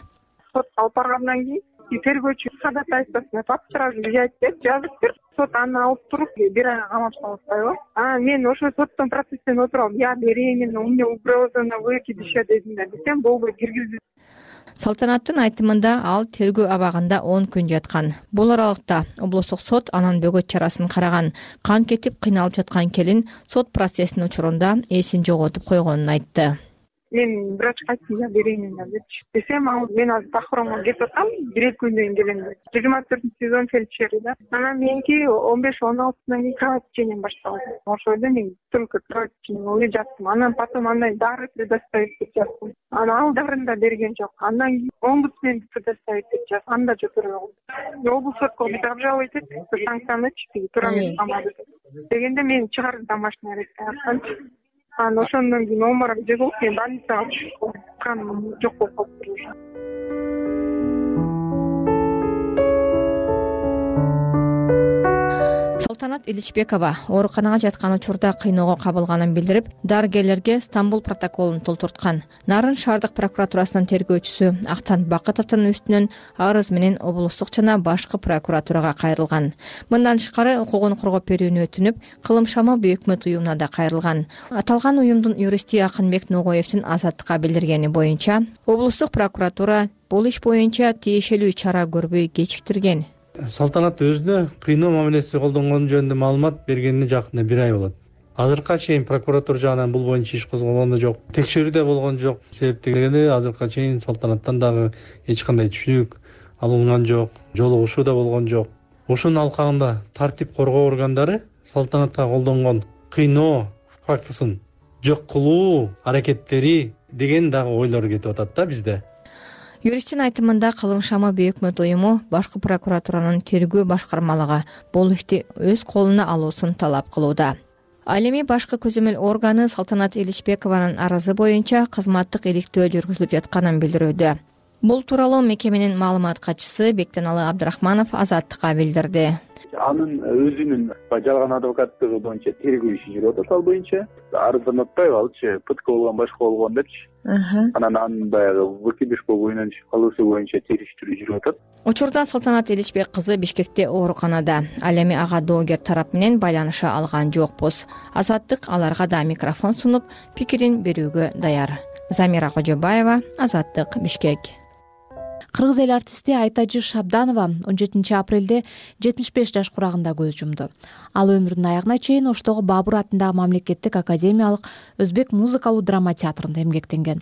Сот алып баргандан кийин тергөөчү ходатайствосуна под стражу взять деп жазыптыр. Сот аны алып туруп бир айга камап салып атпайбы? Анан мен ошо соттун процессине отуруп, я беременна, у меня угроза на выкидыша дедим да, десем болбой киргизди. Салтанаттын айтымында ал тергөө абагында он күн жаткан. Бул аралыкта облустук сот анын бөгөт чарасын караган. Кан кетип кыйналып жаткан келин сот процессинин учурунда эсин жоготуп койгонун айтты. Мен врачка айттым, я беременна депчи. Десем, ал мен азыр Тахромго кетип атам, бир эки күндөн кийин келем деп. жыйырма төртүнчү сезон фельдшери да. Анан меники он беш он алтыдан кийин кровотечением башталды. Ошондо мен только кровотечением эле жаттым. Анан потом андай дары предоставить деп жаздым. Анан ал дарын да берген жок. Андан кийин омбудсменди предоставить деп жаздым. Анда жок көргөн. Облус сотко бит обжаловать этип, санкцияны туура эмес камады деп. Дегенде мен чыгарды домашний арестке атканчы. Анан ошондон кийин оморок жегилип, мен больницага түшүп каным жок болуп калыптыр уже. Салтанат Иличбекова ооруканага жаткан учурда кыйноого кабылганын билдирип, дарыгерлерге Стамбул протоколун толтурткан. Нарын шаардык прокуратурасынын тергөөчүсү Актан Бакытовдун үстүнөн арыз менен облустук жана башкы прокуратурага кайрылган. Мындан тышкары укугун коргоп берүүнү өтүнүп, Кылымшама Бөкмөт уюмуна да кайрылган. Аталган уюмдун юристи Акынбек Ногоевдин Азаттыкка билдиргени боюнча, облустук прокуратура бул иш боюнча тиешелүү чара көрбөй кечиктирген. Салтанат өзүнө кыйноо мамилеси колдонгону жөнүндө маалымат бергенине жакында бир ай болот. Азыркыга чейин прокуратура жагынан бул боюнча иш козголгон да жок. Текшерүү да болгон жок. Себептеги азыркыга чейин Салтанаттан дагы эч кандай түшүнүк алынган жок, жолугушуу да болгон жок. Ошонун алкагында тартип коргоо органдары Салтанатка колдонгон кыйноо фактысын жок кылуу аракеттери деген дагы ойлор кетип атат да бизде. Юристтин айтымында Кылымшама Бөкмөт уюму башкы прокуратуранын тергөө башкармалыгы бул ишти өз колуна алуусун талап кылууда. Ал эми башкы көзөмөл органы Салтанат Иличбекованын арызы боюнча кызматтык иликтөө жүргүзүлүп жатканын билдирүүдө. Бул тууралуу мекеменин маалымат катчысы Бектеналы Абдрахманов Азаттыкка билдирди. Анын өзүнүн жалган адвокаттыгы боюнча тергөө иши жүрүп атат ал боюнча. Арыздан атпайбы алчы ПТК болгон башка болгон депчи. Анан анын баягы выкидыш боюнча кылуусу боюнча териштирүү жүрүп атат. Учурда Салтанат Иличбек кызы Бишкекте ооруканада. Ал эми ага доогер тарап менен байланыша алган жокпуз. Азаттык аларга да микрофон сунуп, пикирин берүүгө даяр. Замира Кожобаева, Азаттык, Бишкек. Кыргыз эл артисти Айтажи Шабданова он жетинчи апрелде жетимиш беш жаш курагында көз жумду. Ал өмүрүнүн аягына чейин Оштогу Бабур атындагы мамлекеттик академиялык өзбек музыкалуу драма театрында эмгектенген.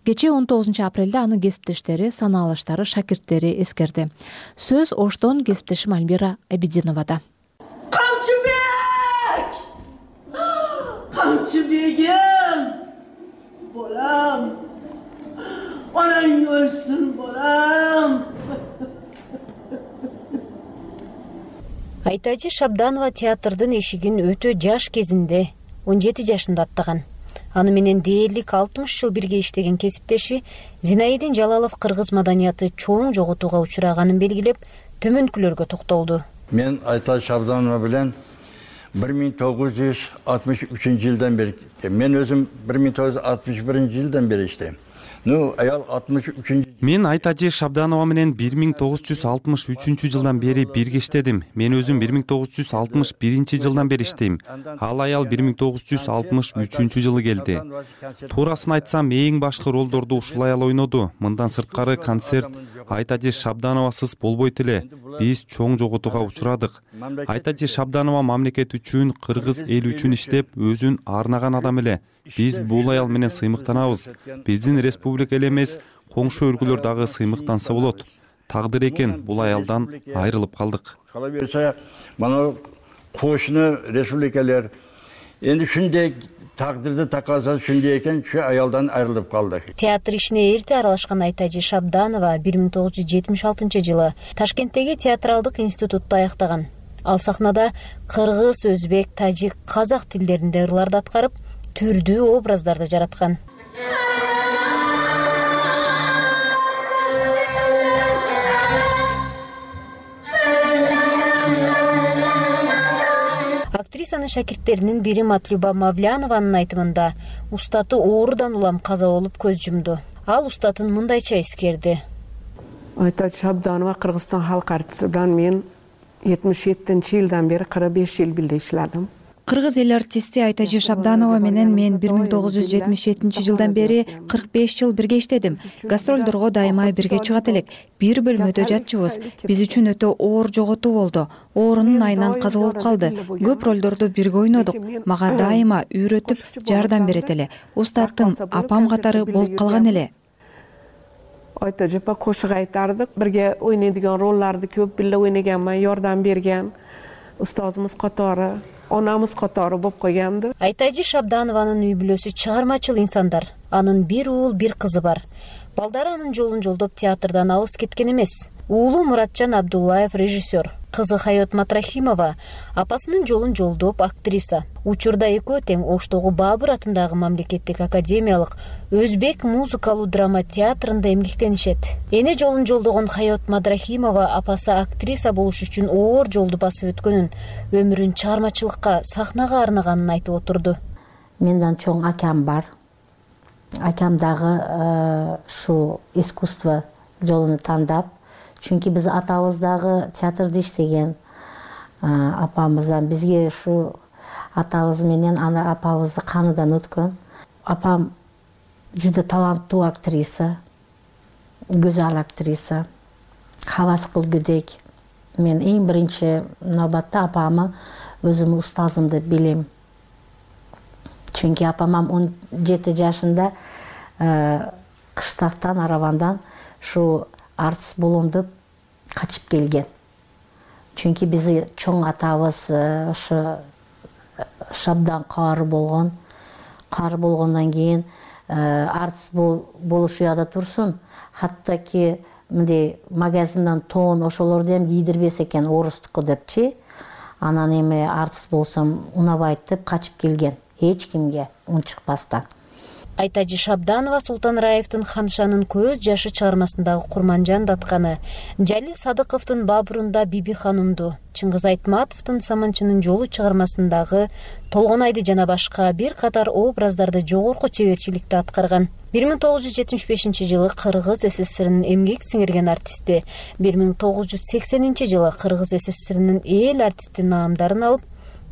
Кечээ он тогузунчу апрелде анын кесиптештери, санаалыштары, шакирттери эскерди. Сөз Оштон кесиптешим Альмира Абидиновада. Камчыбек! Камчыбегим! Болам! Onaң ölsün bolam. Айтажи Шабданова театрдын эшигин өтө жаш кезинде он жети жашында аттаган. Аны менен дээрлик алтымыш жыл бирге иштеген кесиптеши Зинаидин Жалалов кыргыз маданияты чоң жоготууга учураганын белгилеп, төмөнкүлөргө токтолду. Мен Айтажи Шабданова менен бир миң тогуз жүз алтымыш үчүнчү жылдан бери, мен өзүм бир миң тогуз жүз алтымыш биринчи жылдан бери иштейм. Ну, аял алтымыш үчүнчү. Мен Айтажи Шабданова менен бир миң тогуз жүз алтымыш үчүнчү жылдан бери бирге иштедим. Мен өзүм бир миң тогуз жүз алтымыш биринчи жылдан бери иштейм. Ал аял бир миң тогуз жүз алтымыш үчүнчү жылы келди. Туурасын айтсам, эң башкы ролдорду ушул аял ойноду. Мындан сырткары концерт Айтажи Шабдановасыз болбойт эле. Биз чоң жоготууга учурадык. Айтажи Шабданова мамлекет үчүн, кыргыз эл үчүн иштеп, өзүн арнаган адам эле. Биз бул аял менен сыймыктанабыз. Биздин республика эле эмес, коңшу өлкөлөр дагы сыймыктанса болот. Тагдыр экен бул аялдан айрылып калдык. Кала берсе, мана кошуну республикалар энди ушундай тагдырды такалса ушундай экен, ушу аялдан айрылып калдык. Театр ишине эрте аралашкан Айтажи Шабданова бир миң тогуз жүз жетимиш алтынчы жылы Ташкенттеги театралдык институтту аяктаган. Ал сахнада кыргыз, өзбек, тажик, казак тилдеринде ырларды аткарып, түрдүү образдарды жараткан. Актрисанын шакирттеринин бири Матлюба Мавлянованын айтымында устаты оорудан улам каза болуп көз жумду. Ал устатын мындайча эскерди. Айтажи Шабданова Кыргызстан халк артисти менен мен жетимиш жетинчи жылдан бери кырк беш жыл бирге иштедим. Кыргыз эл артисти Айтажи Шабданова менен мен бир миң тогуз жүз жетимиш жетинчи жылдан бери кырк беш жыл бирге иштедим. Гастролдорго дайыма бирге чыгат элек. Бир бөлмөдө жатчубыз. Биз үчүн өтө оор жоготуу болду. Оорунун айынан каза болуп калды. Көп ролдорду бирге ойнодук. Мага дайыма үйрөтүп, жардам берет эле. Устатым, апам катары болуп калган эле. Айтажи апа кошук айтардык. Бирге ойнойдуган ролларды көп бирге ойногонмун, жардам берген. Устазыбыз катары, онамыз катары болуп койгонду. Айтажи Шабданованын үй бүлөсү чыгармачыл инсандар. Анын бир уул, бир кызы бар. Балдары анын жолун жолдоп театрдан алыс кеткен эмес. Уулу Муратжан Абдуллаев режиссер, кызы Хаёт Матрахимова апасынын жолун жолдоп актриса. Учурда экөө тең Оштогу Бабур атындагы мамлекеттик академиялык өзбек музыкалуу драма театрында эмгектенишет. Эне жолун жолдогон Хаёт Матрахимова апасы актриса болуш үчүн оор жолду басып өткөнүн, өмүрүн чыгармачылыкка, сахнага арнаганын айтып отурду. Менен чоң акам бар. Акам дагы ушу искусство жолун тандап, чүнки биз атабыз дагы театрда иштеген. Апамыздан бизге ушу атабыз менен ана апабыздын каныдан өткөн. Апам жуда таланттуу актриса, гүзал актриса, хавас кылгыдек. Мен эң биринчи нобатта апамы өзүм устазымды билем. Чүнки апамам он жети жашында кыштактан, аравандан ушу артист болом деп качып келген. Чүнки бизи чоң атабыз ошо Шабдан кары болгон. Кары болгондон кийин артист болуш уяда турсун. Хаттаки мындай магазинден тон ошолорду эм кийдирбес экен орустуку депчи. анан эми артист болсом унабайт деп качып келген, эч кимге үн чыкпастан. Айтажы Шабданова Султан Раевдин Ханшанын көз жашы чыгармасындагы Курманжан датканы, Жалил Садыковдун Бабурунда Биби ханымду, Чыңгыз Айтматовдун Саманчынын жолу чыгармасындагы Толгонайды жана башка бир катар образдарды жогорку чеберчиликте аткарган. бир миң тогуз жүз жетимиш бешинчи жылы Кыргыз СССРинин эмгек сиңирген артисти, бир миң тогуз жүз сексенинчи жылы Кыргыз СССРинин эл артисти наамдарын алып,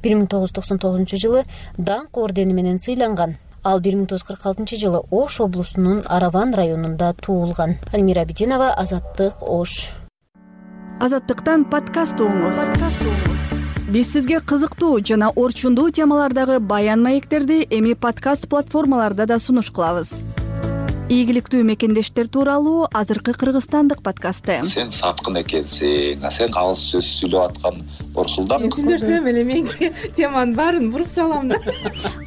бир миң тогуз жүз токсон тогузунчу жылы Даңк ордени менен сыйланган. Ал бир миң тогуз жүз кырк алтынчы жылы Ош облусунун Араван районунда туулган. Альмира Битинова, Азаттык, Ош. Азаттыктан подкаст угуңуз. Биз сизге кызыктуу жана орчундуу темалардагы баян маектерди эми подкаст платформаларда да сунуш кылабыз. Ийгиликтүү мекендештер тууралуу азыркы кыргызстандык подкасты. Сен саткын экенсиң, сен кагыз сөз сүйлөп аткан Борсулдан. Мен сүйлөсөм эле менге теманын баарын буруп салам да.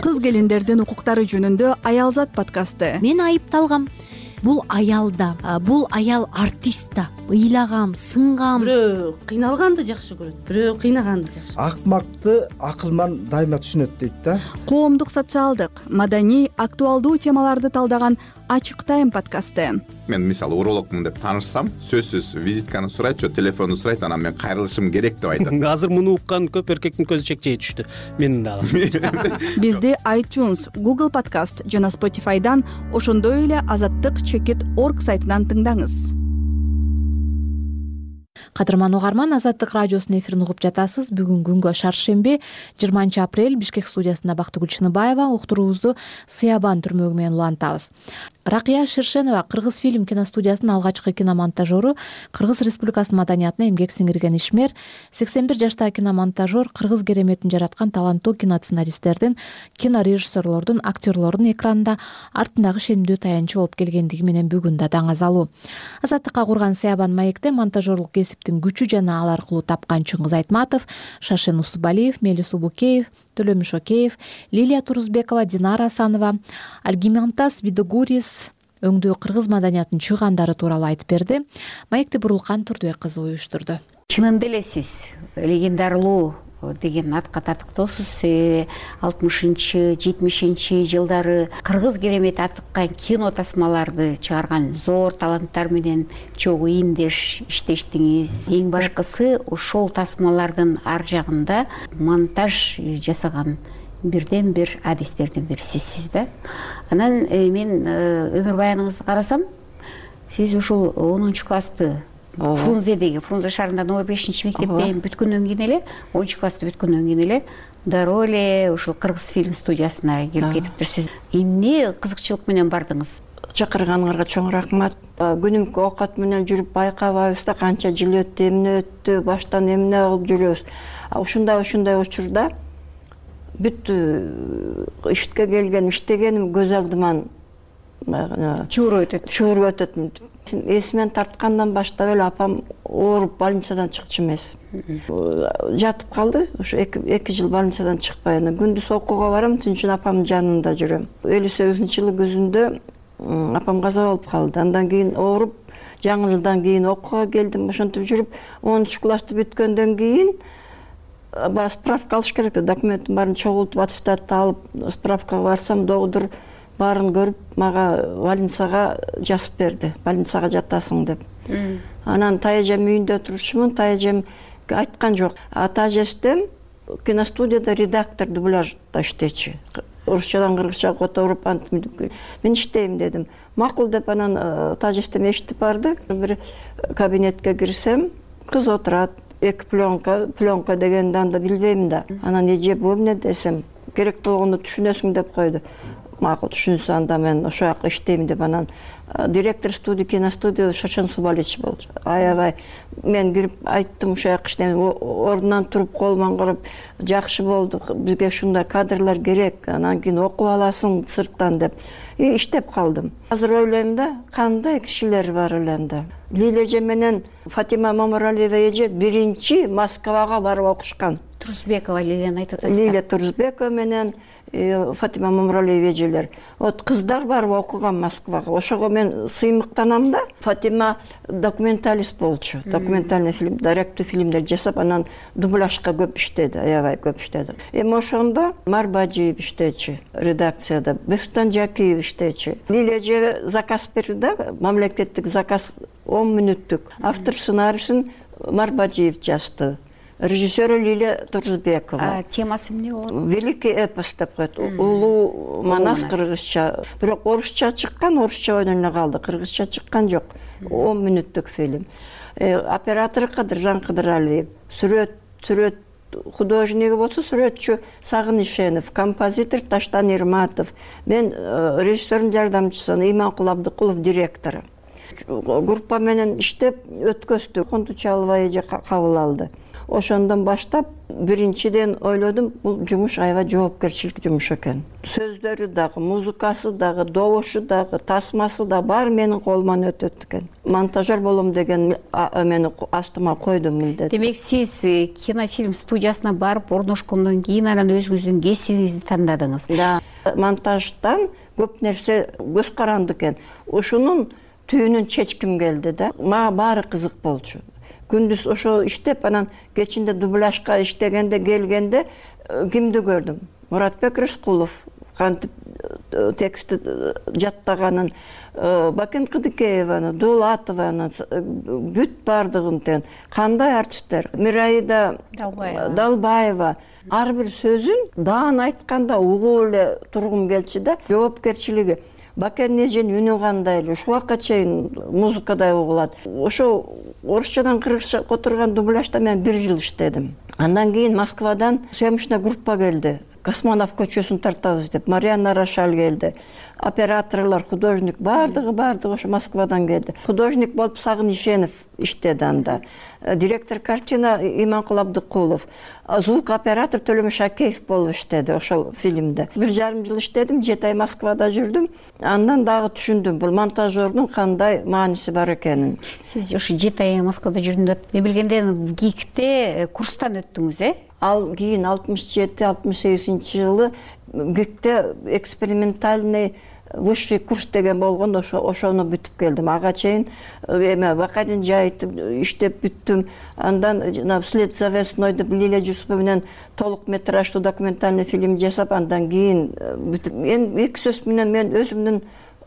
Кыз келиндердин укуктары жөнүндө Аялзат подкасты. Мен айыпталгам. Бул аял да, бул аял артист да. Ыйлагам, сынгам. Бирөө кыйналганды жакшы көрөт, бирөө кыйнаганды жакшы. Акмакты акылман дайыма түшүнөт дейт да. Коомдук, социалдык, маданий, актуалдуу темаларды талдаган Ачык тайм подкасты. Мен мисалы урологмун деп таанышсам, сөзсүз визитканы сурайт, же телефонду сурайт, анан мен кайрылышым керек деп айтам. Азыр муну уккан көп эркектин көзү чекчейе түштү. Менин дагы. Бизди iTunes, Google Podcast жана Spotify'дан, ошондой эле азаттык чекит точка орг сайтынан тыңдаңыз. Кадырман угарман, Азаттык радиосунун эфирин угуп жатасыз. Бүгүн күнгө шаршемби, жыйырманчы апрель, Бишкек студиясында Бактыгүл Чыныбаева уктуруубузду Сыябан түрмөгү менен улантабыз. Ракыя Шершенова Кыргыз фильм киностудиясынын алгачкы киномонтажеру, Кыргыз Республикасынын маданиятына эмгек сиңирген ишмер, сексен бир жаштагы киномонтажер, Кыргыз кереметин жараткан таланттуу киносценаристтердин, кинорежиссерлордун, актерлордун экранда артындагы шенимдүү таянчы болуп келгендиги менен бүгүн да даңазалуу. Азаттыкка курган Сыябан маекте монтажерлук кесиптин күчү жана ал аркылуу тапкан Чыңгыз Айтматов, Шашен Усубалиев, Мелис Убукеев, Төлөмүш Океев, Лилия Турузбекова, Динара Асанова, Альгимантас Видогурис өңдүү кыргыз маданиятынын чыгандары тууралуу айтып берди. Маекти Бурулкан Турдубек кызы уюштурду. Чынында эле сиз легендарылуу деген атка татыктоосуз. алтымышынчы жетимишинчи жылдары кыргыз керемети атыккан кино тасмаларды чыгарган зор таланттар менен чогуу иимдеш иштештиңиз. Эң башкысы ошол тасмалардын ар жагында монтаж жасаган бирден бир адистердин бирисисиз да. Анан мен өмүр баяныңызды карасам, сиз ушул онунчу классты Фрунзедеги, Фрунзе шаарында номер бешинчи мектепте бүткөндөн кийин эле, онунчу классты бүткөндөн кийин эле дароо эле ушул Кыргыз фильм студиясына келип кетиптирсиз. Эмне кызыкчылык менен бардыңыз? Чакырганыңарга чоң рахмат. Күнүмкү оокат менен жүрүп байкабайбыз да, канча жыл өттү, эмне өттү, баштан эмне кылып жүрөбүз. Ушундай ушундай учурда бүт ишке келген, иштегеним көз алдыман чууруп өтөт. Чууруп өтөт. Эсимен тарткандан баштап эле апам ооруп больницадан чыкчу эмес. Жатып калды. Ошо эки жыл больницадан чыкпай, анан күндүз окууга барам, түн үчүн апамдын жанында жүрөм. элүү сегизинчи жылы күзүндө апам каза болуп калды. Андан кийин ооруп, жаңы жылдан кийин окууга келдим. Ошентип жүрүп, онунчу классты бүткөндөн кийин баа справка алыш керек. Документтин баарын чогултуп, аттестатты алып, справкага барсам, доктор баарын көрүп, мага больницага жазып берди. Больницага жатасың деп. Анан тайэжем үйүндө турчумун, тайэжем айткан жок. Ата эжем киностудияда редактор, дубляжда иштечи. Орусчадан кыргызчага которуп, мен иштейм дедим. Макул деп анан тажестем эшитип барды. Бир кабинетке кирсем, кыз отурат. Эки пленка, пленка дегенди анда билбейм да. Анан эже бу эмне десем, керек болгондо түшүнөсүң деп койду. Макул түшүнсө анда мен ошол жака иштейм деп анан директор студия, киностудия Шашен Субалич болду. Аябай мен кирип айттым ошол жака иштейм. Ордунан туруп колуман карап, жакшы болду, бизге ушундай кадрлар керек, анан кийин окуп аласың сырттан деп. И иштеп калдым. Азыр ойлойм да, кандай кишилер бар эле анда. Лилия эже менен Фатима Мамаралиева эже биринчи Москвага барып окушкан. Турузбекова Лилияны айтып атасыздар. Лилия Турузбекова менен Фатима Мамралиева эжелер. Вот кыздар барып окуган Москвага. Ошого мен сыймыктанам да. Фатима документалист болчу. Документальный фильм, даректүү фильмдер жасап, анан дубляжга көп иштеди, аябай көп иштеди. Эми ошондо Марбажиев иштечи, редакцияда, Бестан Жакиев иштечи. Лилия эже заказ берди да, мамлекеттик заказ он мүнөттүк. Автор сценарийсин Марбажиев жазды. Режиссеры Лилия Турузбекова. Темасы эмне болот? Великий эпос деп коет. Улуу Манас кыргызча. Бирок орусча чыккан, орусча ойноно калды. Кыргызча чыккан жок. он мүнөттүк фильм. Оператор Кадыржан Кыдыралиев. Сүрөт, сүрөт художниги болсо сүрөтчү Сагын Ишенов, композитор Таштан Ирматов. Мен режиссердин жардамчысы Иманкул Абдыкулов директору. Группа менен иштеп өткөздүк. Контучалова эже кабыл алды. Ошондон баштап биринчиден ойлодум, бул жумуш аябай жоопкерчилик жумуш экен. Сөздөрү дагы, музыкасы дагы, добушу дагы, тасмасы да баары менин колуман өтөт экен. Монтажер болом деген мени астыма койдум милдет. Демек сиз кинофильм студиясына барып орношкондон кийин анан өзүңүздүн кесибиңизди тандадыңыз. Да. Монтаждан көп нерсе көз каранды экен. Ушунун түйүнүн чечким келди да. Мага баары кызык болчу. Күндүз ошо иштеп, анан кечинде дубляжга иштегенде келгенде кимди көрдүм? Муратбек Рыскулов кантип текстти жаттаганын, Бакен Кыдыкееваны, Дулатованы, бүт бардыгын тең. Кандай артисттер? Мираида Далбаева. Ар бир сөзүн даан айтканда угуп эле тургум келчү да, жоопкерчилиги. Бакен эженин үнү кандай эле, ушул убакка чейин музыкадай угулат. Ошо орусчадан кыргызча которгон дубляжда мен бир жыл иштедим. Андан кийин Москвадан съемочный группа келди. Космонов көчөсүн тартабыз деп, Марьяна Рошаль келди. Операторлор, художник, бардыгы бардыгы ошо Москвадан келди. Художник болуп Сагын Ишенов иштеди анда. Директор картина Иманкул Абдыкулов. Звук оператор Төлөмүш Шакеев болуп иштеди ошол фильмде. Бир жарым жыл иштедим, жети ай Москвада жүрдүм. Андан дагы түшүндүм бул монтажердун кандай мааниси бар экенин. Сиз ошо жети ай Москвада жүрдүм деп, мен билгенден ГИКте курстан өттүңүз, э? Ал кийин алтымыш жети алтымыш сегизинчи жылы ГИКте экспериментальный высший курс деген болгон, ошо ошону бүтүп келдим. Ага чейин эме Бакадин жайытып иштеп бүттүм. Андан жана Вслед за весной деп Лилия Жусупова менен толук метраждуу документальный фильм жасап, андан кийин бүтүп. Эми эки сөз менен мен өзүмдүн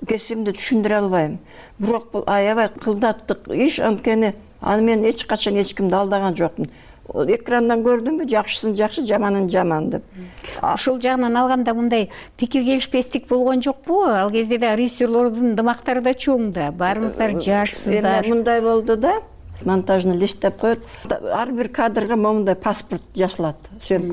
кесибимди түшүндүрө албайм. Бирок бул аябай кылдаттык иш, анткени аны мен эч качан эч кимди алдаган жокмун. Экрандан көрдүмбү, жакшысын жакшы, жаманын жаман деп. Ошол жагынан алганда мындай пикир келишпестик болгон жокпу? Ал кезде да режиссерлордун дымактары да чоң да, баарыңыздар жашсыздар. Эми мындай болду да, монтажны листтеп коет. Ар бир кадрга момундай паспорт жасалат.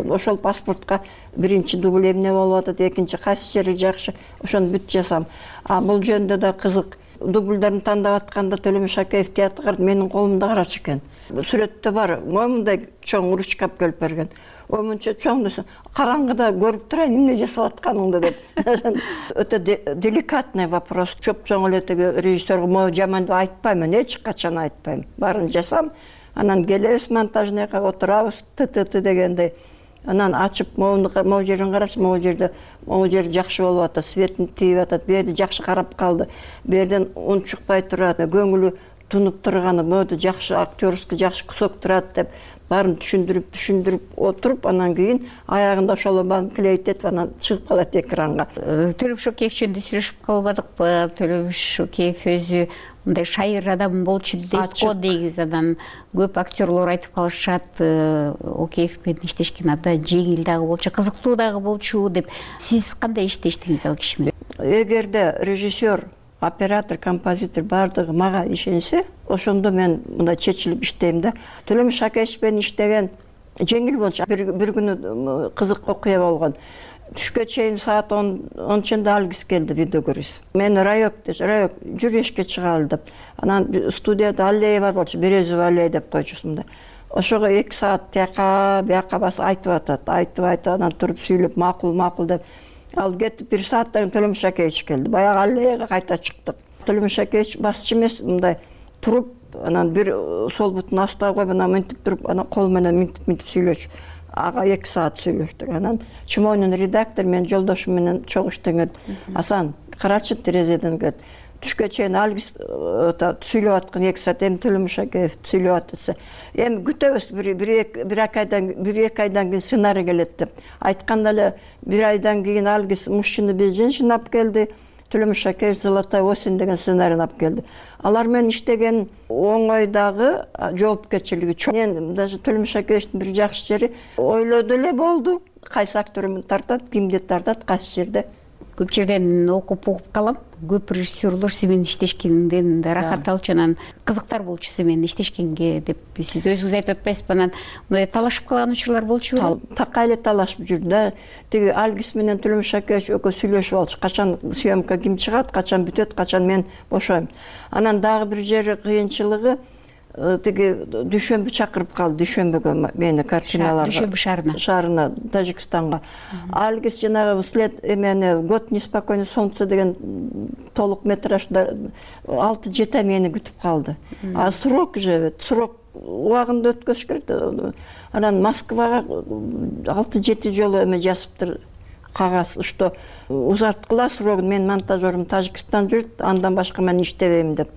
Ошол паспортко биринчи дубль эмне болуп атат, экинчи кайсы жери жакшы, ошону бүт жасам. А бул жөнүндө да кызык. Дубльдерин тандап атканда Төлөмүш Шакеев театрга менин колумда карачу экен. Сүрөттө бар, момундай чоң ручка келип берген. Омунча чоң десем, караңгыда көрүп турайын, эмне жасап атканыңды деп. Өтө деликатный вопрос. Чоп-чоң эле теги режиссерге могу жаман деп айтпайм, эч качан айтпайм. Баарын жасам, анан келебиз монтажныйга, отурабыз, т-т-т дегендей. Анан ачып, могу жерин карашы, могу жерде, могу жер жакшы болуп атат, светин тийип атат, бул жерде жакшы карап калды. Бул жерден ун чыкпай турат, көңүлү тунуп турганы, могу жакшы актерский жакшы кусок турат деп баарын түшүндүрүп, түшүндүрүп отуруп, анан кийин аягында ошол баарын клейтетип, анан чыгып калат экранга. Төлөмүш Шакеев жөнүндө сүйлөшүп калбадыкпы? Төлөмүш Шакеев өзү мындай шайыр адам болчу дейт го, негизи анан көп актерлор айтып калышат, Океев менен иштешкен абдан жеңил дагы болчу, кызыктуу дагы болчу деп. Сиз кандай иштештиңиз ал киши менен? Эгерде режиссер, оператор, композитор бардыгы мага ишенсе, ошондо мен мындай чечилип иштейм да. Төлөмүш Шакеев менен иштеген жеңил болчу. Бир күнү кызык окуя болгон. Түшкө чейин саат ончунда алгис келди, видеогөрүз. Мен райок, райок жүрүшкө чыгалы деп. Анан студияда аллея бар болчу, Березова аллея деп койчусунда. Ошого эки саат тияка, бияка басып айтып атат, айтып айтып, анан туруп сүйлөп, макул, макул деп. Ал кетип бир сааттан Төлөмүш Шакеевич келди. Баягы аллеяга кайта чыктык. Төлөмүш Шакеевич басчы эмес, мындай туруп, анан бир сол бутун астына коюп, анан мынтип туруп, анан кол менен мынтип мынтип сүйлөчү. ага эки саат сүйлөштүк. Анан чумойнун редактор менин жолдошум менен чогуштуң. Асан, карачы терезеден кет. Түшкө чейин Алгиз сүйлөп аткан эки саат, эми Төлөмүш Акеев сүйлөп атса, эми күтөбүз бир бир айдан бир эки айдан кийин сценарий келет деп айтканда эле, бир айдан кийин Алгиз мужчина без женщин алып келди, Төлөмүш Акеев Золотая осень деген сценарийни алып келди. Алар менен иштеген оңой дагы жоопкерчилиги чоң. Мен даже Төлөмүш Акеевдин бир жакшы жери ойлоду эле болду, кайсы актермен тартат, кимди тартат, кайсы жерде. Көп жерден окуп угуп калам. Көп режиссерлор сиз менен иштешкенден рахат алчу, анан кызыктар болчу сиз менен иштешкенге деп. Сиз өзүңүз айтып атпайсызбы, анан мындай талашып калган учурлар болчу беле? Такка эле талашып жүрдү да. Тиги Алгиз менен Төлөмүш Акеевич экөө сүйлөшүп алчу. Качан съемка ким чыгат, качан бүтөт, качан мен бошойм. Анан дагы бир жери кыйынчылыгы, тиги дүйшөмбү чакырып калды, дүйшөмбүгө мени картиналарга. Дүйшөмбү шаарына. Шаарына, Тажикстанга. Алгиз жанагы след эмени Год неспокойный солнце деген толук метражда алты жети ай мени күтүп калды. А срок же, срок убагында өткөзүш керек. Анан Москвага алты жети жолу эме жазыптыр кагаз, что узарткыла срогун, мен монтажерим Тажикстан жүрүт, андан башка мен иштебейм деп.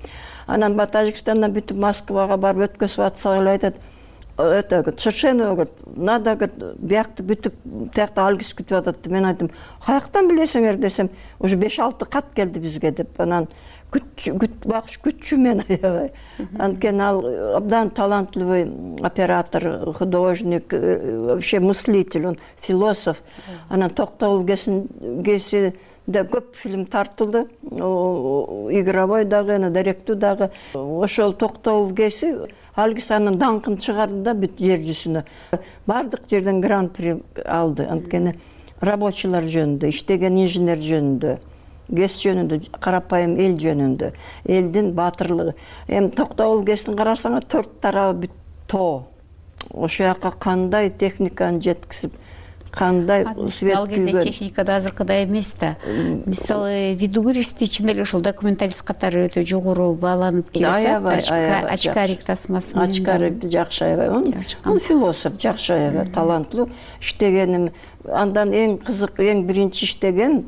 Анан ба Тажикстандан бүтүп Москвага барып өткөзүп атса эле айтат, это совершенно надо биякты бүтүп тиякта Алгиз күтүп атат. Мен айттым, каяктан билесиңер десем, уже беш алты кат келди бизге деп. Анан күт багыш күтчү мен аябай. Анткени ал абдан талантливый оператор, художник, вообще мыслитель, он философ. Анан Токтогул Геси да көп фильм тартылды. Игровой дагы, директүү дагы. Ошол Токтогул Геси Алгиз анын даңкын чыгарды да бүт жер жүзүнө. Бардык жерден гран-при алды. Анткени рабочийлар жөнүндө, иштеген инженер жөнүндө, Гес жөнүндө, карапайым эл жөнүндө, элдин баатырлыгы. Эми Токтогул Гестин карасаңар төрт тарабы бүт тоо. Ошол жака кандай техниканы жеткизип, кандай свет ал кезде техника да азыркыдай эмес да. Мисалы, видеографисти чын эле ошол документалист катары өтө жогору бааланып келет. Очкарик тасмасы менен. Очкарикти жакшы аябай. Он философ, жакшы аябай, таланттуу. Иштегеним, андан эң кызык, эң биринчи иштеген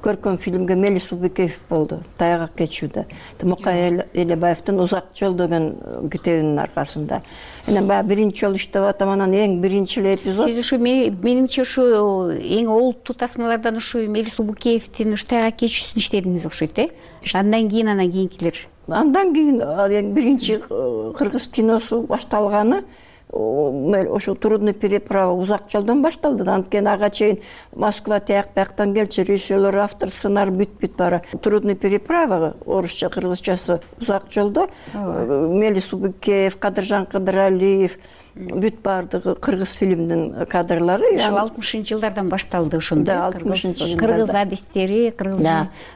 көркөм фильмге Мелис Убекеев болду. Таягак кечүүдө. Мукай Элебаевдин Узак жол деген китебинин аркасында. Анан баягы биринчи жолу иштеп атам, анан эң биринчи эле эпизод. Сиз ушу менимче ушу эң олуттуу тасмалардан ушу Мелис Убекеевдин ушу таягак кечүүсүн иштедиңиз окшойт, э? Андан кийин анан кийинкилер. Андан кийин эң биринчи кыргыз киносу башталганы ошо трудный переправа Узак жолдон башталды. Анткени ага чейин Москва тияк бияктан келчү, режиссерлор, автор, сценарий бүт-бүт бара. Трудный переправа орусча, кыргызчасы Узак жолдо. Мелис Убекеев, Кадыржан Кыдыралиев, бүт бардыгы кыргыз фильмдин кадрлары. Ошол алтымышынчы жылдардан башталды ошондо. Да, алтымышынчы жылдарда. Кыргыз адистери, кыргыз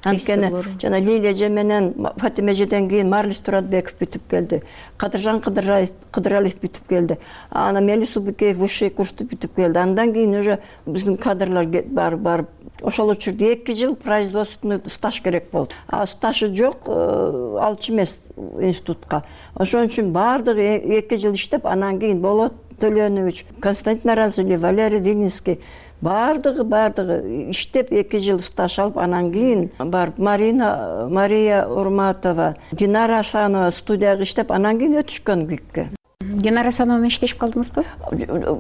режиссерлору. Жана Лилия эже менен Фатима эжеден кийин Марлис Туратбеков бүтүп келди. Кадыржан Кыдыралиев бүтүп келди. Анан Мелис Убекеев высший курсту бүтүп келди. Андан кийин уже биздин кадрлар барып барып ошол учурда эки жыл производственный стаж керек болду. А стажы жок, алчу эмес институтка. Ошон үчүн бардыгы эки жыл иштеп, анан кийин Болот Төлөнович, Константин Аразили, Валерий Вилинский бардыгы бардыгы иштеп эки жыл стаж алып, анан кийин барып Марина Мария Урматова, Динара Асанова студияга иштеп, анан кийин өтүшкөн күйүккө. Динара Асанова менен иштешип калдыңызбы?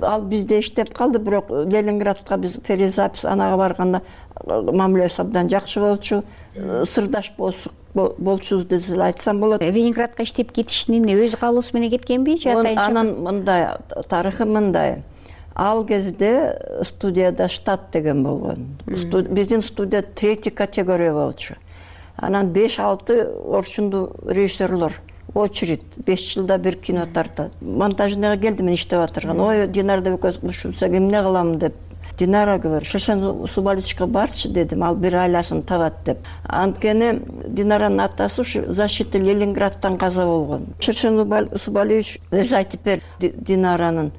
Ал бизде иштеп калды, бирок Ленинградка биз перезапись анага барганда мамилеси абдан жакшы болчу, сырдаш болчубуз деп айтсам болот. Ленинградка иштеп кетишин эмне, өз каалоосу менен кеткенби же атайын? Анан мындай, тарыхы мындай. Ал кезде студияда штат деген болгон. Биздин студия третий категория болчу. Анан беш алты орчундуу режиссерлор очередь, беш жылда бир кино тартат. Монтажныйга келди, мен иштеп атырган. Ой, Динарда ушунса эмне кылам деп. Динара говорит, Шершен Субаличка барчы дедим, ал бир айласын табат деп. Анткени Динаранын атасы ушу защита Ленинградтан каза болгон. Шершен Субалич өзү айтып берди Динаранын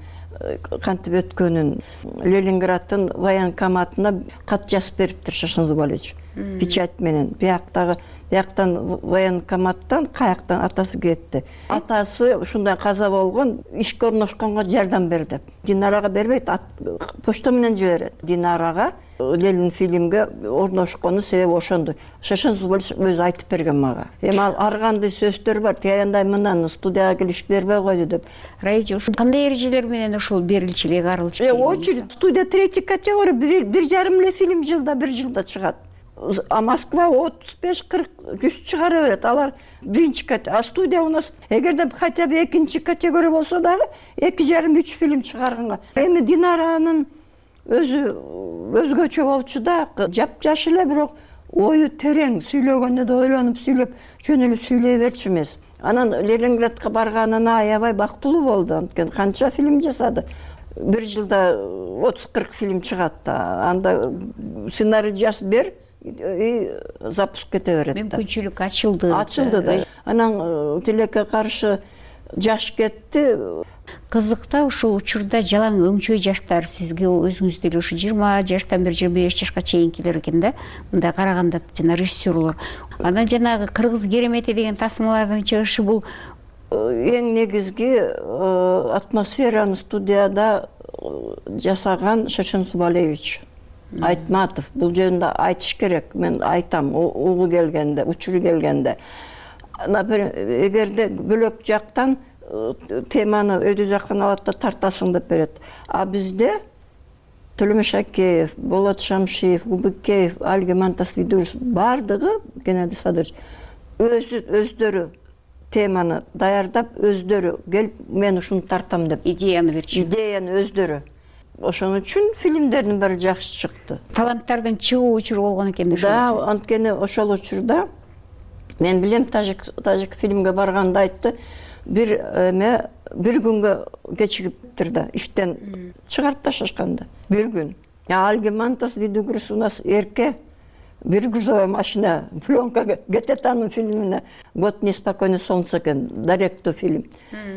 кантип өткөнүн. Ленинградтын военкоматына кат жазып бериптир Шершен Субалич. Печать менен. Бияктагы бияктан военкоматтан каяктан атасы кетти. Атасы ушундай каза болгон, ишке орношконго жардам бер деп. Динарага бербейт, почта менен жиберет. Динарага Ленин фильмге орношкону себеби ошондо. Шашен Зубалович өзү айтып берген мага. Эми ал ар кандай сөздөр бар, тияндай мындан студияга келишип бербей койду деп. Раиже, ошо кандай эрежелер менен ошол берилчү эле арылчу? Э, очередь студия третий категория, бир жарым эле фильм жылда, бир жылда чыгат. А Москва отуз беш кырк жүз чыгара берет. Алар биринчи категория. А студия у нас эгерде хотя бы экинчи категория болсо дагы эки жарым үч фильм чыгарганга. Эми Динаранын өзү өзгөчө болчу да, жапжаш эле, бирок ою терең, сүйлөгөндө да ойлонуп сүйлөп, жөн эле сүйлөй берчү эмес. Анан Ленинградка барганына аябай бактылуу болду. Анткени канча фильм жасады. Бир жылда отуз кырк фильм чыгат да. Анда сценарий жазып бер и запуск кете берет. Мүмкүнчүлүк ачылды. Ачылды да. Анан тилекке каршы жаш кетти. Кызык да, ушул учурда жалаң өңчөй жаштар сизге өзүңүз деле ушу жыйырма жаштан бери жыйырма беш жашка чейинкилер экен да. Мындай караганда жана режиссерлор. Анан жанагы кыргыз керемети деген тасмалардын чыгышы бул эң негизги атмосфераны студияда жасаган Шашен Зубалевич Айтматов. Бул жөнүндө айтыш керек. Мен айтам, угу келгенде, учуру келгенде. Например, эгерде бөлөк жактан теманы өйдө жактан алат да тартасың деп берет. А бизде Төлөмөш Акеев, Болот Шамшиев, Губыкеев, Альгеман Тасвидуров бардыгы Геннадий Садырович өзү өздөрү теманы даярдап, өздөрү келип мен ушуну тартам деп идеяны берчү. Идеяны өздөрү. Ошон үчүн фильмдердин баары жакшы чыкты. Таланттардын чыгуу учуру болгон экен да. Да, анткени ошол учурда мен билем, тажик тажик фильмге барганда айтты, бир эме бир күнгө кечигиптир да, иштен чыгарып ташташканда. Бир күн. Альгемантас Видугрус у нас эрке, бир грузовая машина, пленка Гететанын фильмине «Год неспокойный солнце» экен, Даректу фильм.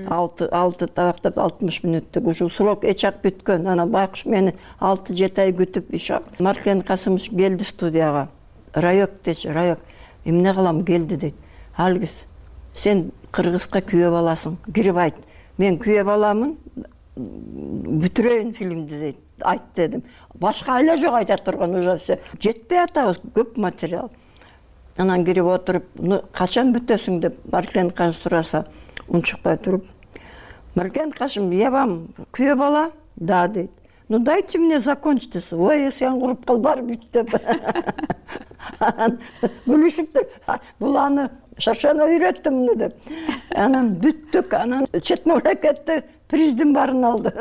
Алты алты табактап алтымыш мүнөттүк, уже срок эчак бүткөн. Анан байкуш мени алты жети ай күтүп ишак. Маркен Касымович келди студияга. Райок дечи, Райок. Эмне кылам, келди дейт. Алгиз, сен кыргызга күйөө баласың, кирип айт. Мен күйөө баламын, бүтүрөйүн фильмди дейт. Айт дедим. Башка эле жок айта турган, уже все. Жетпей атабыз, көп материал. Анан кирип отуруп, качан бүтөсүң деп Маркен Касым сураса, унчукпай туруп, Маркен Касым, я вам күйөө бала? Да, дейт. Ну дайте мне закончить. Ой, сен куруп кал, бар бүт деп. Анан күлүшүптүр. Бул аны Шашена үйрөттүм деп. Анан бүттүк, анан чет мамлекетте приздин баарын алды.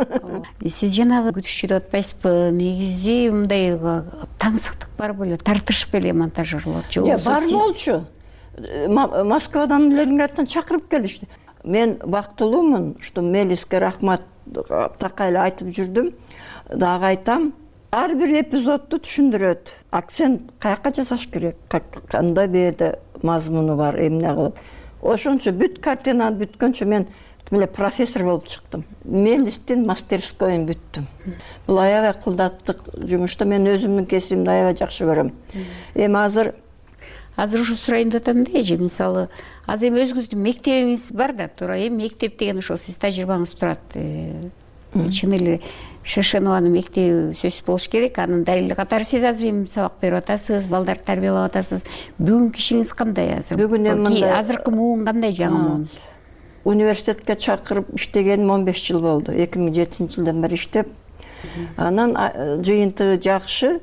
Сиз жанагы күтүшчү деп атпайсызбы? Негизи мындай таңсыктык бар беле, тартышып эле монтажерлор. Жок, бар болчу. Москвадан, Ленинградтан чакырып келишти. Мен бактылуумун, что Мелиске рахмат такай эле айтып жүрдүм. Дагы айтам, ар бир эпизодду түшүндүрөт. Акцент каяка жасаш керек, кандай бээде мазмуну бар, эмне кылып. Ошончо бүт картина бүткөнчө мен эле профессор болуп чыктым. Мелистин мастерскойун бүттүм. Бул аябай кылдаттык жумушта мен өзүмдүн кесибимди аябай жакшы көрөм. Эми азыр азыр ушу сурайын деп атам да, эже, мисалы, азыр эми өзүңүздүн мектебиңиз бар да, туура эми мектеп деген ошол сиз тажрыйбаңыз турат. Чын эле Шашенованын мектеби сөзсүз болуш керек. Анын далили катары сиз азыр эми сабак берип атасыз, балдарды тарбиялап атасыз. Бүгүнкү ишиңиз кандай азыр? Бүгүн эми азыркы муун кандай, жаңы муун? Университетке чакырып иштегеним он беш жыл болду. эки миң жетинчи жылдан бери иштеп. Анан жыйынтыгы жакшы.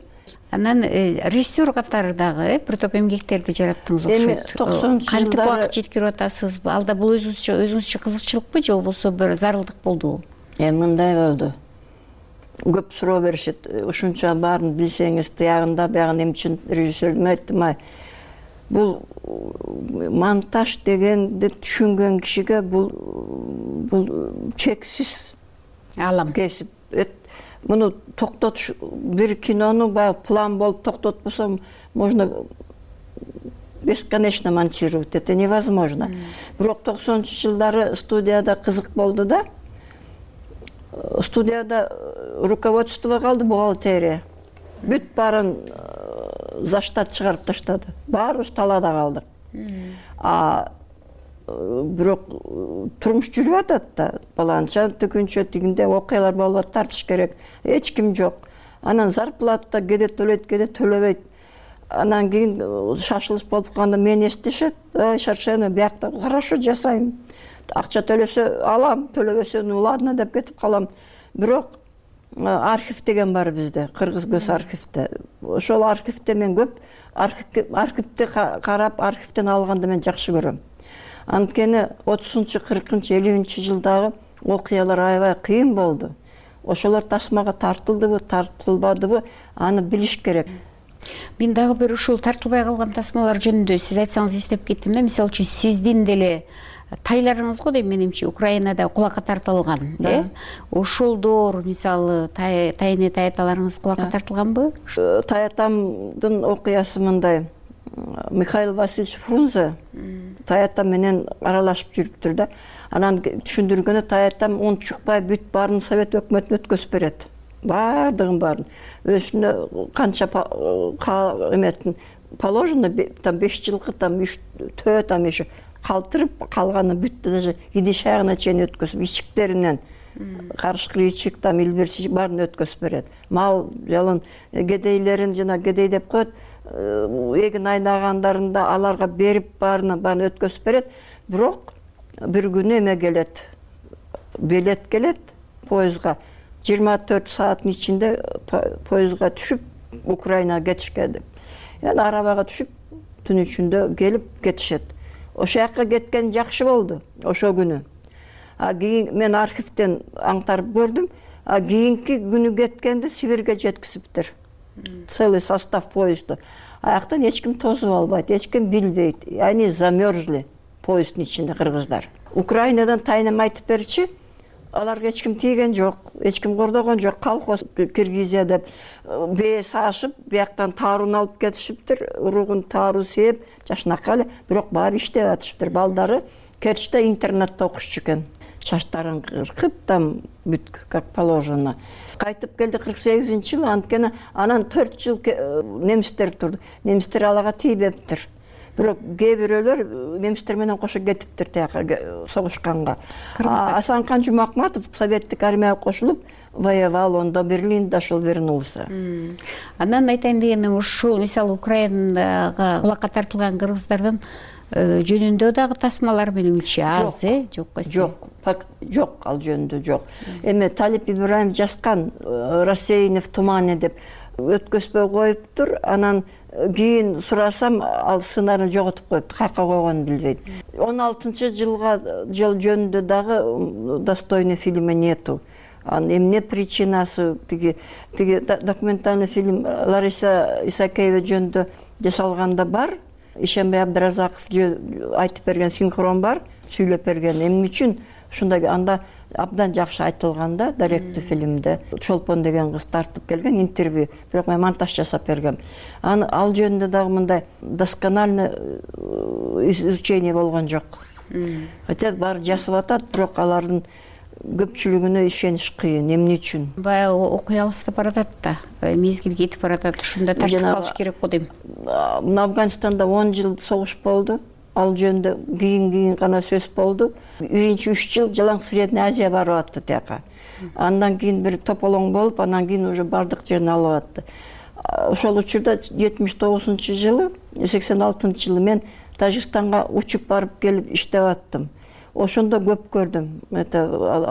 Анан режиссер катары дагы бир топ эмгектерди жараттыңыз окшойт. Эми токсонунчу кантип жылдары убакыт жеткирип атасызбы? Алда бул өзүңүзчө өзүңүзчө кызыкчылыкпы же болбосо бир зарылдык болдубу? Эми мындай болду. Көп суроо беришет. Ушунча баарын билсеңиз, тиягында биягын эми үчүн режиссердин айттым, ай. Бул монтаж дегенди түшүнгөн кишиге бул бул чексиз алам кесип. Муну токтотуш, бир кинону баягы план болуп токтотпосом, можно бесконечно монтировать. Это невозможно. Бирок токсонунчу жылдары студияда кызык болду да. Студияда руководство калды, бухгалтерия. Бүт баарын за штат чыгарып таштады. Баарыбыз талаада калдык. а бирок турмуш жүрүп атат да, баланча түгүнчө тигинде окуялар болуп атат, тартыш керек, эч ким жок. Анан зарплата кээде төлөйт, кээде төлөбөйт. Анан кийин шашылыш болуп калганда мени эстешет, ай Шаршена биякта хорошо жасайм, акча төлөсө алам, төлөбөсө ну ладно деп кетип калам. Бирок архив деген бар бизде, Кыргыз көз архивте. Ошол архивте мен көп архивти карап, архивден алганды мен жакшы көрөм. Анткени отузунчу, кыркынчы, элүүнчү жылдагы окуялар аябай кыйын болду. Ошолор тасмага тартылдыбы, тартылбадыбы, аны билиш керек. Мен дагы бир ушул тартылбай калган тасмалар жөнүндө сиз айтсаңыз эстеп кеттим да. Мисалы үчүн сиздин деле тайларыңыз го дейм менимче Украинада кулакка тартылган, э? Ошолдор мисалы тайыне таяталарыңыз кулакка тартылганбы? Таятамдын окуясы мындай. Михаил Васильевич Фрунзе таятам менен аралашып жүрүптүр да. Анан түшүндүргөнү таятам он чукпай бүт баарын Совет өкмөтүнө өткөзүп берет. Бардыгын баарын. Өзүнө канча эметтин положено там беш жылкы, там үч төрт там еще калтырып калганы бүт даже идиш аягына чейин өткөзүп, ичиктеринен карышкы ичик, там илбирчи баарын өткөзүп берет. Мал жалын кедейлерин жана кедей деп коет, эгин айнагандарында аларга берип баарына баарын өткөзүп берет. Бирок бир күнү эме келет, билет келет поездга. жыйырма төрт сааттын ичинде поездга түшүп Украинага кетишке деп. Эми арабага түшүп түн ичинде келип кетишет. Ошол жака кеткен жакшы болду ошол күнү. А кийин мен архивден аңтарып көрдүм, а кийинки күнү кеткенде Сибирге жеткизиптир. Целый состав поезда. Аяктан эч ким тосуп албайт, эч ким билбейт. Они замерзли поезддин ичинде кыргыздар. Украинадан тайнам айтып берчи, аларга эч ким тийген жок, эч ким кордогон жок. Колхоз Киргизия деп бээ саашып, бияктан таарууну алып кетишиптир, уругун тааруу сээп, жашынакай эле, бирок баары иштеп атышыптыр. Балдары кетиште интернетте окушчу экен. Шаштарын кыркып, там бүт как положено. Кайтып келди кырк сегизинчи жылы, анткени анан төрт жыл немистер турду. Немистер алага тийбептир. Бирок кээ бирөөлөр немистер менен кошо кетиптир тияка согушканга. Асанкан Жумакматов советтик армияга кошулуп воевал, ондо Берлинде ошол вернулся. Анан айтайын дегеним ушул мисалы Украинага кулакка тартылган кыргыздардын жөнүндө дагы тасмалар менимче аз, э? Жок койсо. Жок, жок, ал жөнүндө жок. Эми Талип Ибраим жазган «Рассеяние в тумане» деп өткөзбөй коюптур. Анан кийин сурасам, ал сценарийни жоготуп коюпту, каяка койгонун билбейт. он алтынчы жылга жыл жөнүндө дагы достойный фильми нету. Эмне причинасы, тиги тиги документальный фильм Лариса Исакеева жөнүндө жасалганда бар. Ишенбай Абдыразаков айтып берген синхрон бар, сүйлөп берген. Эмне үчүн ушундай анда абдан жакшы айтылган да, даректүү фильмде. Чолпон деген кыз тартып келген интервью, бирок мен монтаж жасап бергем. Аны ал жөнүндө дагы мындай доскональный изучение болгон жок. Хотя баары жасап атат, бирок алардын көпчүлүгүнө ишениш кыйын. Эмне үчүн? Баягы окуй алыстап баратат да, мезгил кетип баратат, ушунда тартып калыш керек го дейм. Мына Афганистанда он жыл согуш болду. Ал жөнүндө кийин-кийин гана сөз болду. Биринчи үч жыл Жалаң Средний Азия барып атты тияка. Андан кийин бир тополоң болуп, андан кийин уже бардык жерин алып атты. Ошол учурда жетимиш тогузунчу жылы, сексен алтынчы жылы мен Тажикстанга учуп барып келип иштеп аттым. Ошондо көп көрдүм. Это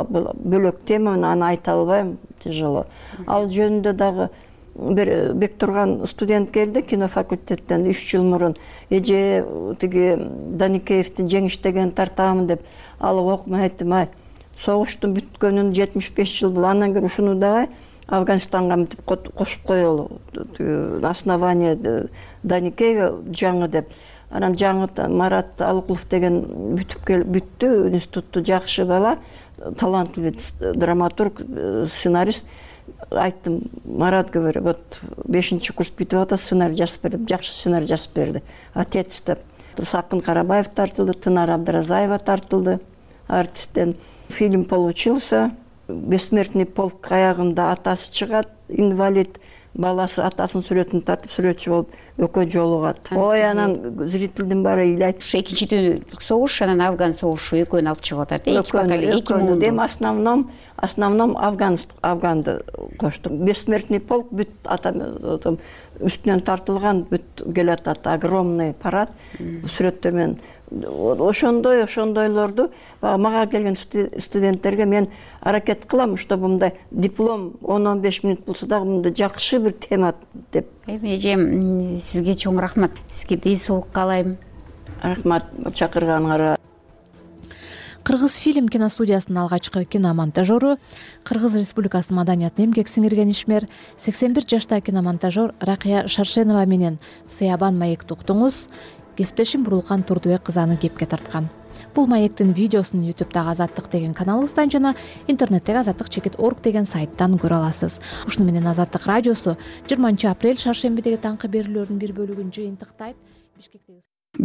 бөлөк тема, аны айта албайм, тяжело. Ал жөнүндө дагы бир Бектурган студент келди кино факультеттен үч жыл мурун. Эже тиги Даникеевдин жеңиштеген тартамын деп алып окуп айттым, ай, согуштун бүткөнүн жетимиш беш жыл бул, андан кийин ушуну дагы Афганистанга мынтип кошуп коелу. Основание Даникеева жаңы деп. Анан жаңы Марат Алыкулов деген бүтүп келип бүттү, институтту жакшы бала, талантлуу драматург, сценарист. Айттым, Марат говорю, вот бешинчи курс бүтүп атат, сценарий жазып берди, жакшы сценарий жазып берди. Отец деп. Сакын Карабаев тартылды, Тынар Абдыразаева тартылды, артисттен. Фильм получился. Бессмертный полк аягында атасы чыгат, инвалид, баласы атасынын сүрөтүн тартып сүрөтчү болуп экөө жолугат. Ой, анан зрительдин баары ыйлайт. Ушу экинчи дүйнөлүк согуш анан Афган согушу экөөнү алып чыгып атат. Эки поколение, эки муунду. Эми основном основном афган афганды коштук. Бессмертный полк бүт атам үстүнөн тартылган бүт келатат. Огромный парад сүрөттөр менен. Ошондой ошондойлорду баягы мага келген студенттерге мен аракет кылам, чтобы мындай диплом он он беш мүнөт болсо дагы мындай жакшы бир тема деп. Эми эжем, сизге чоң рахмат. Сизге ден соолук каалайм. Рахмат чакырганыңарга. Кыргыз фильм киностудиясынын алгачкы киномонтажеру, Кыргыз Республикасынын маданиятына эмгек сиңирген ишмер, сексен бир жаштагы киномонтажер Ракыя Шаршенова менен Сыябан маекти уктуңуз. Кесиптешим Бурулкан Турдубек кызы аны кепке тарткан. Бул маектин видеосун ютубтагы Азаттык деген каналыбыздан жана интернеттеги азаттык чекит орг деген сайттан көрө аласыз. Ушуну менен Азаттык радиосу жыйырманчы апрель шаршембидеги таңкы берүүлөрдүн бир бөлүгүн жыйынтыктайт.